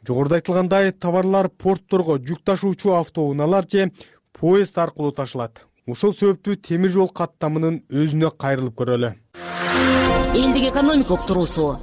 Жогоруда айтылгандай, товарлар портторго жүк ташуучу автоунаалар же поезд аркылуу ташылат. Ошол себептүү темир жол каттамынын өзүнө кайрылып көрөлү. Элдик экономика уктуруусу.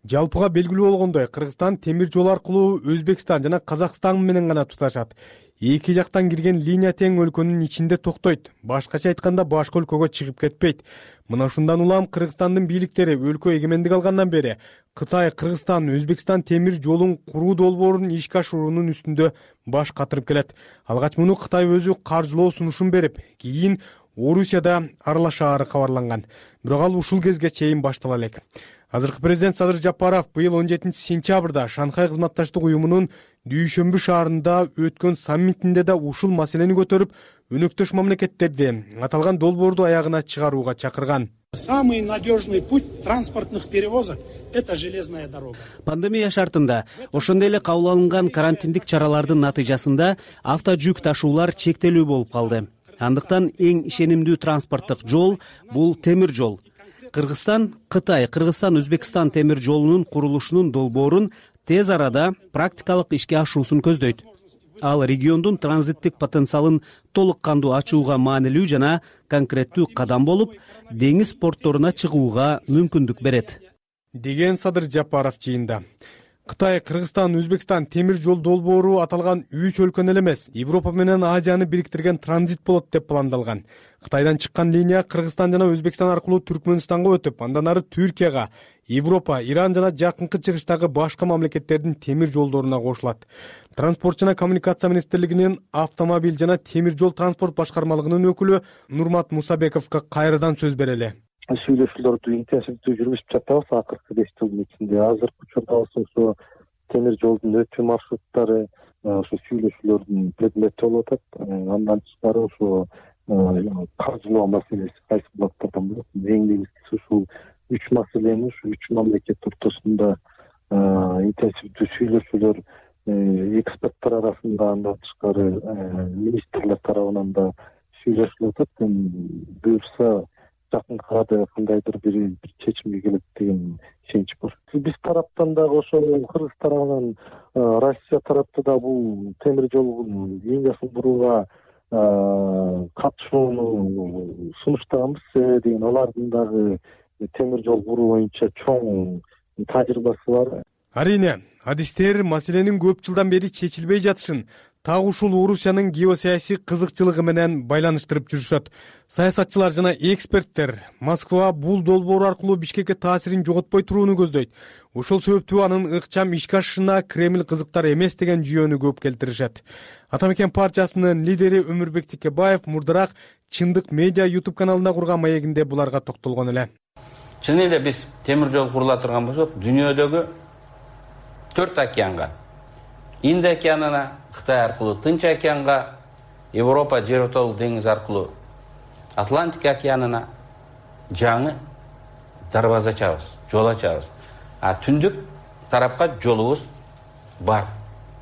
Жалпыга белгилүү болгондой, Кыргызстан темир жол аркылуу Өзбекстан жана Казакстан менен гана туташат. Эки жактан кирген линия тең өлкөнүн ичинде токтойт. Башкача айтканда, башка өлкөгө чыгып кетпейт. Мына ушундан улам Кыргызстандын бийликтери өлкө эгемендик алгандан бери Кытай, Кыргызстан, Өзбекстан темир жолун куруу долбоорун ишке ашыруунун үстүндө баш катырып келет. Алгач муну Кытай өзү каржылоо сунушун берип, кийин Орусияда аралашаары кабарланган. Бирок ал ушул кезге чейин баштала элек. Азыркы президент Садыр Жапаров быйыл 17-сентябрда Шанхай кызматташтык уюмунун Дүйшөмбү шаарында өткөн саммитинде да ушул маселени көтөрүп, өнөктөш мамлекеттерди аталган долбоорду аягына чыгарууга чакырган. Самый надежный путь транспортных перевозок – это железная дорога. Пандемия шартында ошондой эле кабыл алынган карантиндик чаралардын натыйжасында авто жүк ташуулар чектелүү болуп калды. Андыктан эң ишенимдүү транспорттук жол бул темир жол. Кыргызстан, Кытай, Кыргызстан, Өзбекстан темир жолунун курулушунун долбоорун тез арада практикалык ишке ашуусун көздөйт. Ал региондун транзиттик потенциалын толук кандуу ачууга маанилүү жана конкреттүү кадам болуп, деңиз портторуна чыгууга мүмкүндүк берет, деген Садыр Жапаров жыйында. Кытай, Кыргызстан, Өзбекстан темир жол долбоору аталган 3 өлкөнү эле эмес, Европа менен Азияны бириктирген транзит болот деп пландалган. Кытайдан чыккан линия Кыргызстан жана Өзбекстан аркылуу Түркмөнстанга өтүп, андан ары Түркияга, Европа, Иран жана жакынкы чыгыштагы башка мамлекеттердин темир жолдоруна кошулат. Транспорт жана коммуникация министрлигинин автомобиль жана темир жол транспорт башкармалыгынын өкүлү Нурмат Мусабековго кайрадан сөз берели. Сүйлөшүүлөрдү интенсивдүү жүргүзүп жатабыз акыркы 5 жылдын ичинде. Азыркы учурда ошо темир жолдун өтүү маршруттары ошо сүйлөшүүлөрдүн предмети болуп атат. Андан тышкары ошо каржылоо маселеси кайсы булактардан болот. Эң негизгиси ушул 3 маселени ушу 3 мамлекет ортосунда интенсивдүү сүйлөшүүлөр эксперттер арасында, андан тышкары министрлер тарабынан да сүйлөшүлүп атат. Буюрса жакынкы арада кандайдыр бир чечимге келет деген ишенич бар. Биз тараптан дагы ошол Кыргыз тарабынан, Россия тарапта да бул темир жол линиясын бурууга катышууну сунуштаганбыз. Себеби деген алардын дагы темир жол буруу боюнча чоң тажрыйбасы бар. Арине, адистер маселенин көп жылдан бери чечилбей жатышын так ушул Орусиянын геосаясий кызыкчылыгы менен байланыштырып жүрүшөт. Саясатчылар жана эксперттер Москва бул долбоор аркылуу Бишкекке таасирин жоготпой турууну көздөйт. Ошол себептүү анын ыкчам ишке ашышына Кремль кызыктар эмес деген жүйөнү көп келтиришет. Атамекен партиясынын лидери Өмүрбек Текебаев мурдараак Чындык медиа YouTube каналында курган маегинде буларга токтолгон эле. Чын эле биз темир жол курула турган болсок, дүйнөдөгү 4 океанга, Инд океанына, Кытай аркылуу Тынч океанга, Европа жер ортолук деңиз аркылуу Атлантик океанына жаңы дарбаза ачабыз, жол ачабыз. А түндүк тарапка жолубуз бар.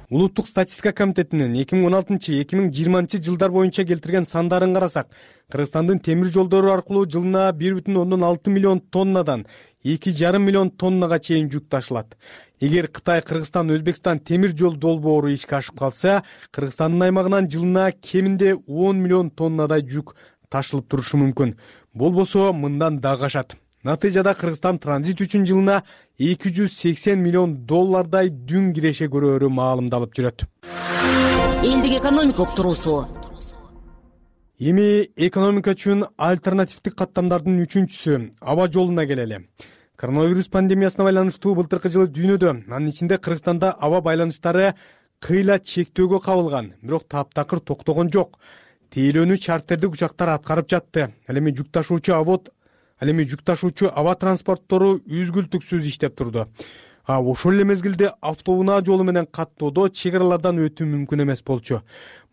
Улуттук статистика комитетинин 2016-2020 жылдар боюнча келтирген сандарын карасак, Кыргызстандын темир жолдору аркылуу жылына 1,6 миллион тоннадан 2,5 миллион тоннага чейин жүк ташылат. Эгер Кытай, Кыргызстан, Өзбекстан темир жол долбоору ишке ашып калса, Кыргызстандын аймагынан жылына кеминде 10 миллион тоннадай жүк ташылып турушу мүмкүн. Болбосо мындан дагы ашат. Натыйжада Кыргызстан транзит үчүн жылына 280 миллион доллардай дүң киреше көрөөрү маалымдалып жүрөт. Элдик экономика уктуруусу. Эми экономика үчүн альтернативдик каттамдардын үчүнчүсү аба жолуна келели. Коронавирус пандемиясына байланыштуу былтыркы жылы дүйнөдө, анын ичинде Кыргызстанда аба байланыштары кыйла чектөөгө кабылган, бирок таптакыр токтогон жок. Тейлөөнү чартердик учактар аткарып жатты. Ал эми жүк ташуучу авод Ал эми жүк ташуучу аба транспорттору үзгүлтүксүз иштеп турду. Ошол эле мезгилде автоунаа жолу менен каттоодо чек аралардан өтүү мүмкүн эмес болчу.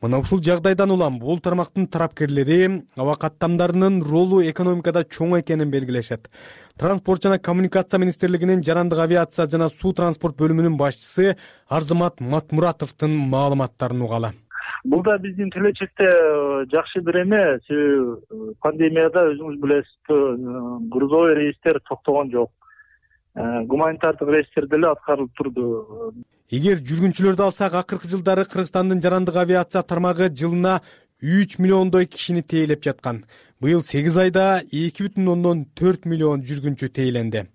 Мына ушул жагдайдан улам бул тармактын тарапкерлери аба каттамдарынын ролу экономикада чоң экенин белгилешет. Транспорт жана коммуникация министрлигинин жарандык авиация жана суу транспорт бөлүмүнүн башчысы Арзымат Матмуратовдун маалыматтарын угалы. Бул да биздин келечекте жакшы бир эме. Себеби пандемияда өзүңүз билесиз, грузовой рейстер токтогон жок. Гуманитардык рейстер деле аткарылып турду. Эгер жүргүнчүлөрдү алсак, акыркы жылдары Кыргызстандын жарандык авиация тармагы жылына 3 миллиондой кишини тейлеп жаткан. Быйыл 8 айда 2,4 миллион жүргүнчү тейленди.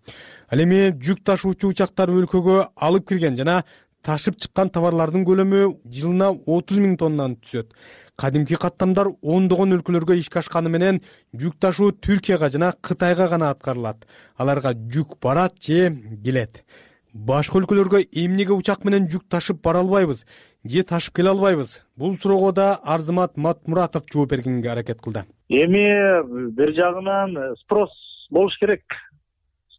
Ал эми жүк ташуучу учактар өлкөгө алып кирген жана ташып чыккан товарлардын көлөмү жылына 30 000 тоннаны түзөт. Кадимки каттамдар ондогон өлкөлөргө ишке ашканы менен жүк ташуу Түркияга жана Кытайга гана аткарылат. Аларга жүк барат же келет. Башка өлкөлөргө эмнеге учак менен жүк ташып бара албайбыз же ташып келе албайбыз? Бул суроого да Арзымат Матмуратов жооп бергенге аракет кылды. Эми бир жагынан спрос болуш керек.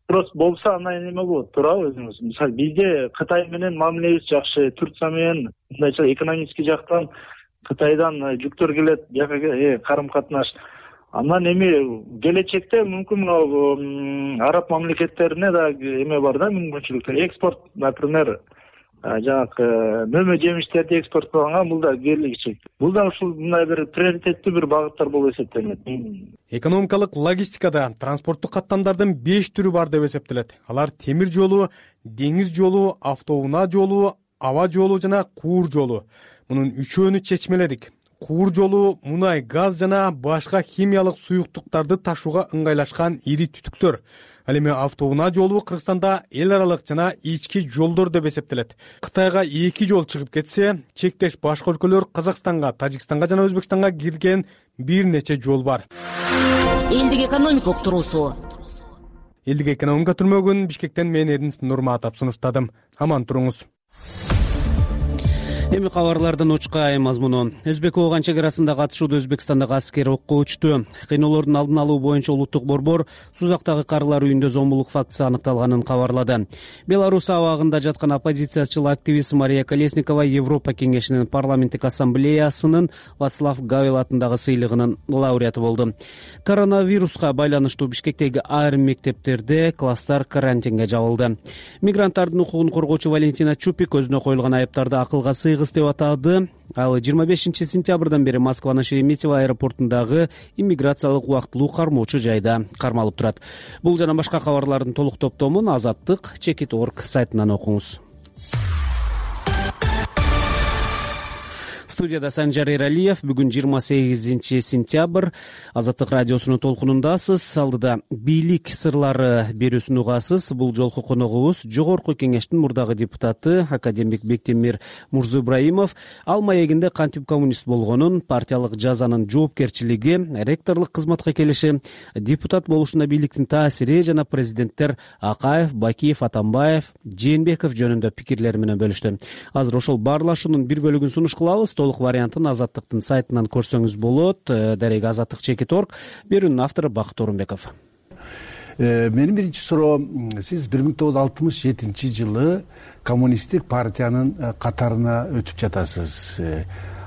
Спрос болсо андан эме болот, туурабы өзүңүз? Мисалы бизде Кытай менен мамилебиз жакшы, Турция менен мындайча экономический жактан Кытайдан жүктөр келет, жакка карым-катнаш. Андан эми келечекте мүмкүн араб мамлекеттерине да эме бар да, мүмкүнчүлүктөр. Экспорт, например, жанагы мөмө жемиштерди экспорттоганга бул да келечек. Бул да ушул мындай бир приоритеттүү бир багыттар болуп эсептелет. Экономикалык логистикада транспорттук каттамдардын 5 түрү бар деп эсептелет. Алар темир жолу, деңиз жолу, автоунаа жолу, аба жолу жана куур жолу. Мунун үчөөнү чечмеледик. Куур жолу мунай, газ жана башка химиялык суюктуктарды ташууга ыңгайлашкан ири түтүктөр. Ал эми автоунаа жолу Кыргызстанда эл аралык жана ички жолдор деп эсептелет. Кытайга 2 жол чыгып кетсе, чектеш башка өлкөлөр Казакстанга, Тажикстанга жана Өзбекстанга кирген бир нече жол бар. Элдик экономика уктуруусу. Элдик экономика түрмөгүн Бишкектен мен Эрдинис Нурматов сунуштадым. Аман туруңуз. Эми кабарлардын учка мазмуну. Өзбек-Ооган чек арасында катышууда Өзбекстандагы аскер окко учту. Кыйноолордун алдын алуу боюнча улуттук борбор Сузактагы карылар үйүндө зомбулук фактысы аныкталганын кабарлады. Беларусь абагында жаткан оппозициячыл активист Мария Колесникова Европа кеңешинин парламенттик ассамблеясынын Вацлав Гавел атындагы сыйлыгынын лауреаты болду. Коронавируска байланыштуу Бишкектеги айрым мектептерде класстар карантинге жабылды. Мигранттардын укугун коргоочу Валентина Чупик өзүнө коюлган айыптарды акылга сыйгыз деп атады. Ал 25 сентябрдан бери Москванын Шереметьево аэропортундагы иммиграциялык убактылуу кармоочу жайда кармалып турат. Бул жана башка кабарлардын толук топтомун Азаттык Чекит.орг сайтынан окуңуз. Студияда Санжар Эралиев. Бүгүн 28 сентябрь. Азаттык радиосунун толкунундасыз. Алдыда бийлик сырлары берүүсүн угасыз. Бул жолку коногубуз Жогорку кеңештин мурдагы депутаты академик Бектемир Мурзоибраимов. Ал маегинде кантип коммунист болгонун, партиялык жазанын жоопкерчилиги, ректорлук кызматка келиши, депутат болушуна бийликтин таасири жана президенттер Акаев, Бакиев, Атамбаев, Жээнбеков жөнүндө пикирлери менен бөлүштү. Азыр ошол баарлашуунун бир бөлүгүн сунуш кылабыз. Толук вариантын Азаттыктын сайтынан көрсөңүз болот. Дарек Азаттык Чекит.орг. Берүүнүн автору Бакыт Орунбеков. Менин биринчи суроом, сиз 1967 жылы коммунисттик партиянын катарына өтүп жатасыз.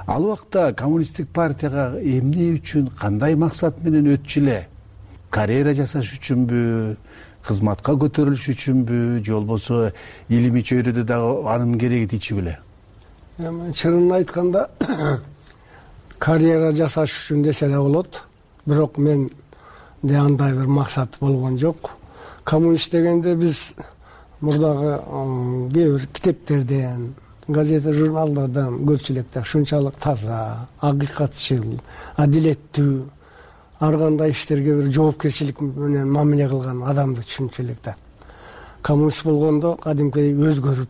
Ал убакта коммунисттик партияга эмне үчүн, кандай максат менен өтчү эле? Карьера жасаш үчүнбү, кызматка көтөрүлүш үчүнбү, же болбосо илимий чөйрөдө дагы анын кереги тичи беле? Чынын айтканда карьера жасаш үчүн десе да болот. Бирок мен де андай бир максат болгон жок. Коммунист дегенде биз мурдагы кээ бир китептерден, газета, журналдардан көрчү элек да, ушунчалык таза, акыйкатчыл, адилеттүү, ар кандай иштерге бир жоопкерчилик менен мамиле кылган адамды түшүнчү элек да. Коммунист болгондо кадимкидей өзгөрүп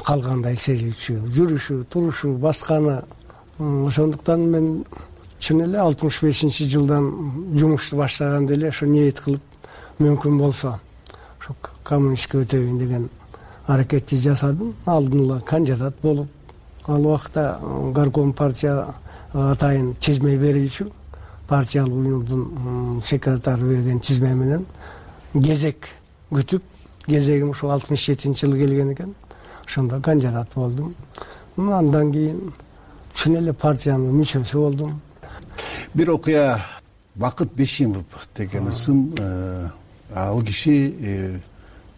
калгандай сезүүчү, жүрүшү, турушу, басканы. Ошондуктан мен чын эле 65 жылдан жумушту баштаганда эле ошо ниет кылып, мүмкүн болсо ошо коммунистке өтөйүн деген аракетти жасадым. Алдын ала кандидат болуп, ал убакта горком партия атайын чечме берүүчү партиялык уюмдун секретары берген тизме менен кезек күтүп, кезегим ушул 67-жылы келген экен. Ошондо кандидат болдум. Андан кийин чын эле партиянын мүчөсү болдум. Бир окуя Бакыт Бешимов деген ысым, ал киши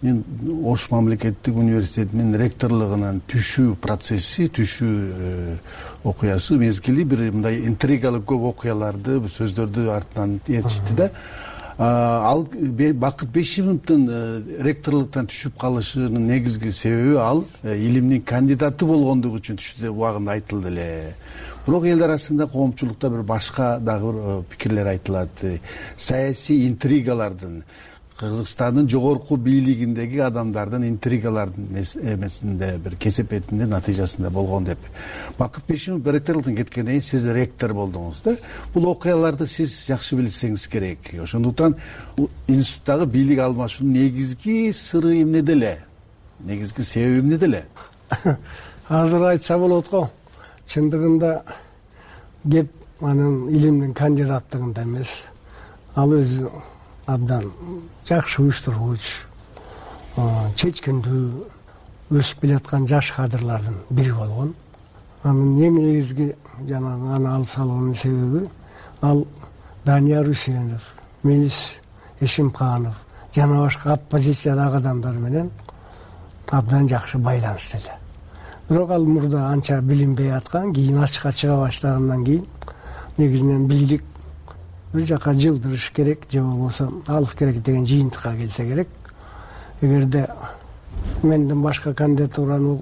мен Ош мамлекеттик университетинин ректорлугунан түшүү процесси, түшүү окуясы мезгили бир мындай интригалык көп окуяларды, сөздөрдү артынан ээрчитти да. Ал Бакыт Бешимовдун ректорлуктан түшүп калышынын негизги себеби ал илимдин кандидаты болгондугу үчүн түшүүдө убагында айтылды эле. Бирок эл арасында, коомчулукта бир башка дагы бир пикирлер айтылат. Саясий интригалардын, Кыргызстандын жогорку бийлигиндеги адамдардын интригалардын эмесинде бир кесепетинде натыйжасында болгон деп. Бакыт Бешимов ректорлуктан кеткенден кийин сиз ректор болдуңуз да. Бул окуяларды сиз жакшы билсеңиз керек. Ошондуктан институттагы бийлик алмашуунун негизги сыры эмнеде эле? Негизги себеби эмнеде эле? Азыр айтса болот го. Чындыгында кеп анын илимдин кандидаттыгында эмес. Ал өзү абдан жакшы уюштургуч, чечкиндүү, өсүп келаткан жаш кадрлардын бири болгон. Анын эң негизги жанагы аны алып салуунун себеби ал Данияр Үсенов, Мелис Эшимканов жана башка оппозициядагы адамдар менен абдан жакшы байланышта эле. Бирок ал мурда анча билинбей аткан, кийин ачыкка чыга баштагандан кийин негизинен бийлик бир жака жылдырыш керек, же болбосо алып керек деген жыйынтыкка келсе керек. Эгерде менден башка кандидатураны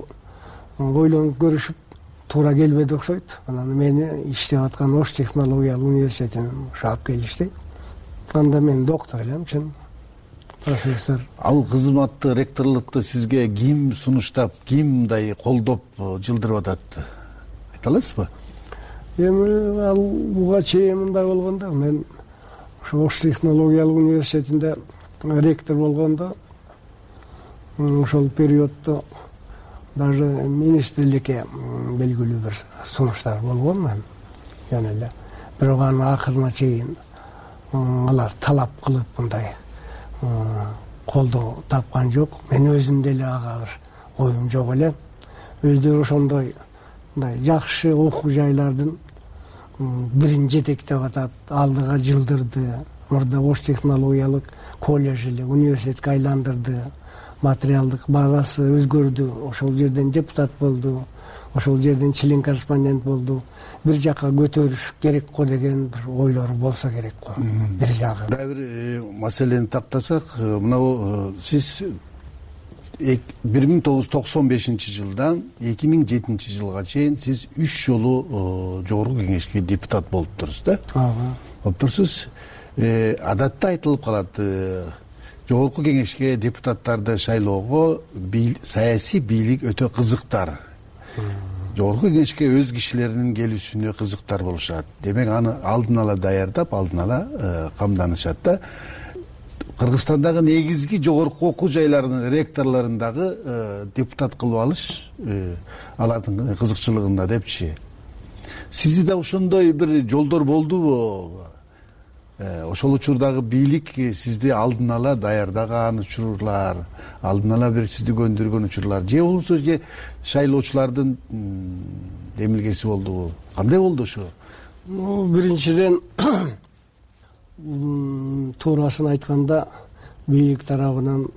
ойлонуп көрүшүп туура келбеди окшойт. Анан мени иштеп аткан Ош технологиялык университетине алып келишти. Анда мен доктор элем, чын профессор. Ал кызматты, ректорлукту сизге ким сунуштап, ким мындай колдоп жылдырып атат? Айта аласызбы? Эми ал буга чейин мындай болгондо, мен ошо Ош технологиялык университетинде ректор болгондо, ошол периоддо даже министрликке белгилүү бир сунуштар болгон мен. Жана эле бирок анын акырына чейин алар талап кылып мындай колдоо тапкан жок. Мен өзүм деле ага бир оюм жок эле. Өздөрү ошондой мындай жакшы окуу жайлардын бирин жетектеп атат, алдыга жылдырды. Мурда Ош технологиялык колледж эле университетке айландырды. Материалдык базасы өзгөрдү. Ошол жерден депутат болду. Ошол жерден член корреспондент болду. Бир жака көтөрүш керек го деген бир ойлору болсо керек го. Бир жагы. Дагы бир маселени тактасак, мына сиз 1995-жылдан 2007-жылга чейин сиз 3 жолу жогорку кеңешке депутат болуптурсуз да? Болуптурсуз. Адатта айтылып калат, жогорку кеңешке депутаттарды шайлоого саясий бийлик өтө кызыктар. Жогорку кеңешке өз кишилеринин келүүсүнө кызыктар болушат. Демек аны алдын ала даярдап, алдын ала камданышат да. Кыргызстандагы негизги жогорку окуу жайларынын ректорлорундагы депутат кылып алыш алардын кызыкчылыгында депчи. Сизде да ошондой бир жолдор болдубу? Ошол учурдагы бийлик сизди алдын ала даярдаган учурлар, алдын ала бир сизди көндүргөн учурлар, же болбосо же шайлоочулардын демилгеси болдубу? Кандай болду ошо? Биринчиден туурасын айтканда бийлик тарабынан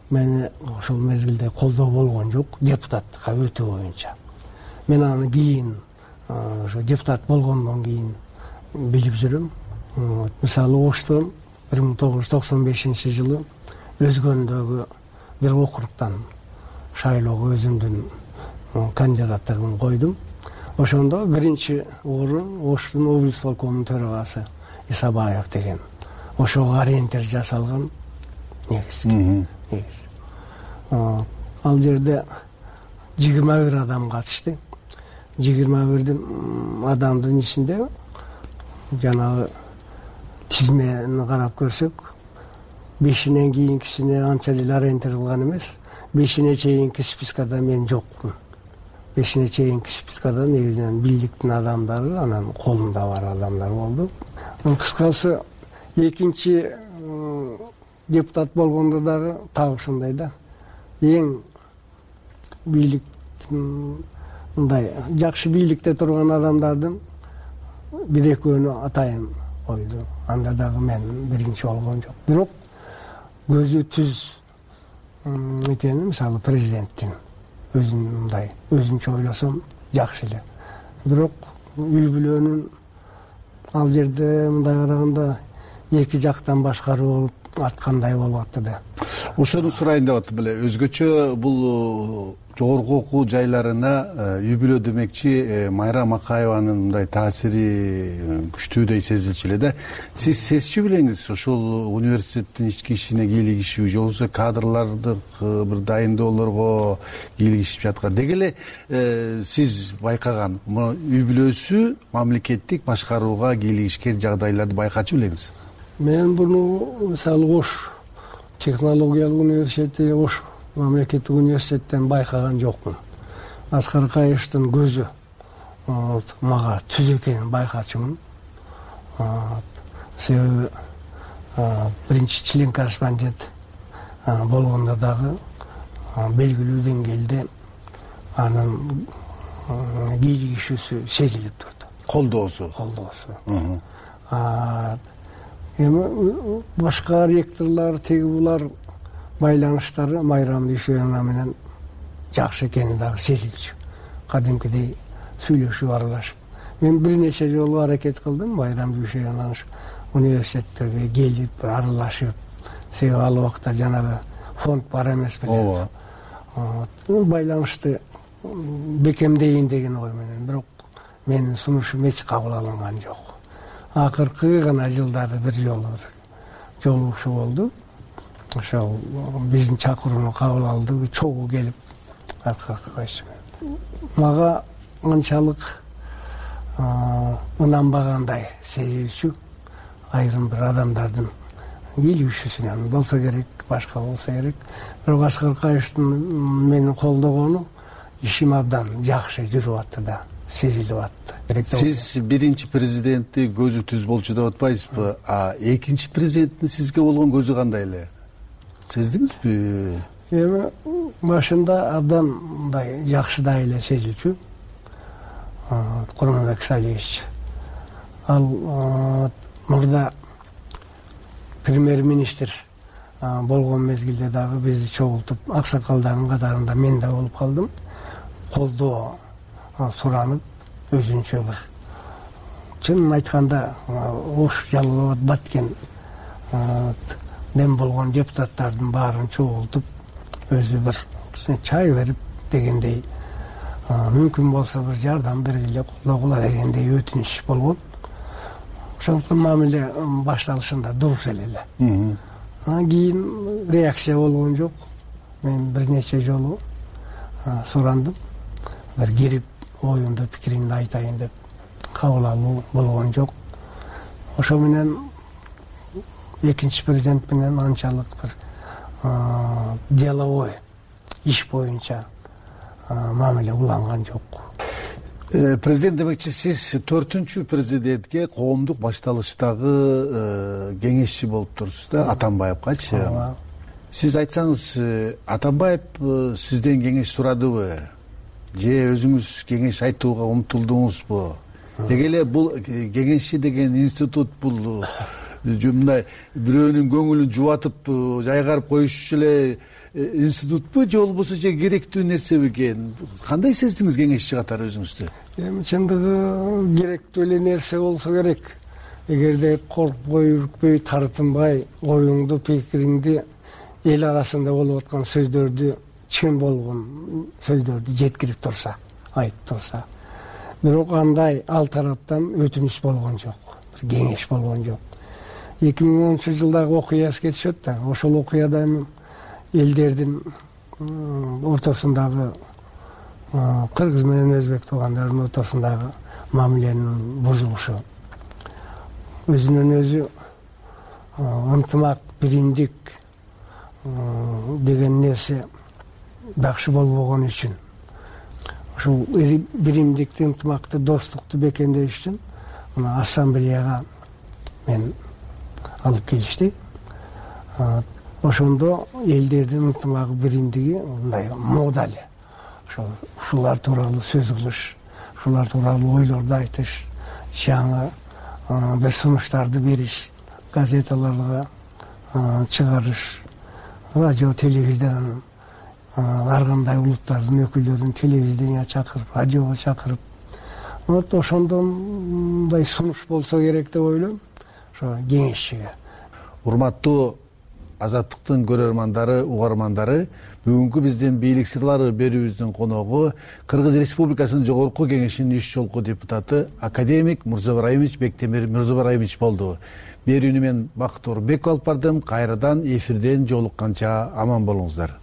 мени ошол мезгилде колдоо болгон жок, депутаттыкка өтүү боюнча. Мен аны кийин ошо депутат болгондон кийин билип жүрөм. Мисалы Оштон 1995-жылы Өзгөндөгү бир округтан шайлоого өзүмдүн кандидаттыгымды койдум. Ошондо биринчи орун Оштун облисполкомунун төрагасы Исабаев деген. Ошого ориентир жасалган негизги. Ал жерде 21 адам катышты. 21 адамдын ичинде жанагы тизмени карап көрсөк, 5-инен кийинкисине анча деле ориентир кылган эмес. 5-ине чейинки спискада мен жокмун. 5-ине чейинки спискада негизинен бийликтин адамдары, анан колунда бар адамдар болду. Кыскасы экинчи депутат болгондо дагы так ушундай да, эң бийлик мындай жакшы бийликте турган адамдардын бир экөөнү атайын койду. Анда дагы мен биринчи болгон жок. Бирок көзү түз экени мисалы президенттин мындай өзүнчө ойлосом жакшы эле. Бирок үй бүлөнүн ал жерде мындай караганда эки жактан башкаруу болуп аткандай болуп атты да. Ошону сурайын деп аттым эле. Өзгөчө бул жогорку окуу жайларына үй бүлө демекчи Майрам Акаеванын мындай таасири күчтүүдөй сезилчү эле да. Сиз сезчү белеңиз ошол университеттин ички ишине кийлигишүү же болбосо кадрларды бир дайындоолорго кийлигишип жаткан. Деги эле сиз байкаган үй бүлөсү мамлекеттик башкарууга кийлигишкен жагдайларды байкачу белеңиз? Мен буну мисалы Ош технологиялык университети, Ош мамлекеттик университеттен байкаган жокмун. Аскар Кайыштын көзү мага түз экенин байкачумун. Себеби биринчи член корреспондент болгондо дагы белгилүү деңгээлде анын кийлигишүүсү сезилип турду. Колдоосу. Эми башка ректорлор теги булар байланыштары Майрам Дүйшөбаева менен жакшы экени дагы сезилчү. Кадимкидей сүйлөшүп аралашып. Мен бир нече жолу аракет кылдым Майрам Дүйшөбаеванын университеттерге келип аралашып. Себеби ал убакта жанагы фонд бар эмес беле. Байланышты бекемдейин деген ой менен, бирок менин сунушум эч кабыл алынган жок. Акыркы гана жылдары бир жолу жолугушуу болду. Ошол биздин чакырууну кабыл алды, чогуу келип аркыркы койчу. Мага анчалык ынанбагандай сезилчү. Айрым бир адамдардын кийлигишүүсүнөн болсо керек, башка болсо керек. Бирок Аскар Кайыштын мени колдогону ишим абдан жакшы жүрүп атты да, сезилип атты. Сиз биринчи президентти көзү түз болчу деп атпайсызбы? Экинчи президенттин сизге болгон көзү кандай эле? Сездиңизби? Эми башында абдан мындай жакшыдай эле сезилчү. Курманбек Салиевич. Ал мурда премьер-министр болгон мезгилде дагы бизди чогултуп, аксакалдардын катарында мен да болуп калдым. Колдоо суранып, өзүнчө бир чынын айтканда Ош, Жалал Абад, Баткен дем болгон депутаттардын баарын чогултуп, өзү бир чай берип дегендей, мүмкүн болсо бир жардам бергиле, колдогула дегендей өтүнүш болгон. Ошондуктан мамиле башталышында дурус эле. Кийин реакция болгон жок. Мен бир нече жолу сурандым. Бир кирип оюмду, пикиримди айтайын деп кабыл алуу болгон жок. Ошо менен экинчи президент менен анчалык бир деловой иш боюнча мамиле уланган жок. Президент демекчи, сиз 4-чү президентке коомдук башталыштагы кеңешчи болуп турсуз да, Атамбаевкачы. Сиз айтсаңыз, Атамбаев сизден кеңеш сурадыбы? Же өзүңүз кеңеш айтууга умтулдуңузбу? Деги эле бул кеңешчи деген институт бул мындай бирөөнүн көңүлүн жубатып жайгарып коюш эле институтпу, же болбосо же керектүү нерсе бекен? Кандай сездиңиз кеңешчи катары өзүңүздү? Эми чындыгы керектүү эле нерсе болсо керек. Эгерде коркпой, үркпөй, тартынбай, оюңду, пикириңди эл арасында болуп аткан сөздөрдү, чын болгон сөздөрдү жеткирип турса, айтып турса. Бирок андай ал тараптан өтүнүш болгон жок, кеңеш болгон жок. 2010-жылдагы окуя эске түшөт да, ошол окуяда элдердин ортосундагы кыргыз менен өзбек туугандардын ортосундагы мамиленин бузулушу, өзүнөн өзү ынтымак, биримдик деген нерсе жакшы болбогон үчүн, ушул биримдикти, ынтымакты, достукту бекемдеш үчүн ассамблеяга мен алып келишти. Ошондо элдердин ынтымагы, биримдиги мындай мода эле. Ушулар тууралуу сөз кылыш, ушулар тууралуу ойлорду айтыш, жаңы бир сунуштарды бериш, газеталарга чыгарыш, радио, телевизиянын ар кандай улуттардын өкүлдөрүн телевидение чакырып, радиого чакырып, ошондон мындай сунуш болсо керек деп ойлойм. Ошо кеңешчиге. Урматтуу Азаттыктын көрөрмандары, угармандары, бүгүнкү биздин бийлик сырлары берүүбүздүн коногу Кыргыз Республикасынын Жогорку Кеңешинин иш жолку депутаты академик Мурзабараимович Бектемир Мурзабараимович болду. Берүүнү мен Бактор Беков алып бардым. Кайрадан эфирден жолукканча аман болуңуздар.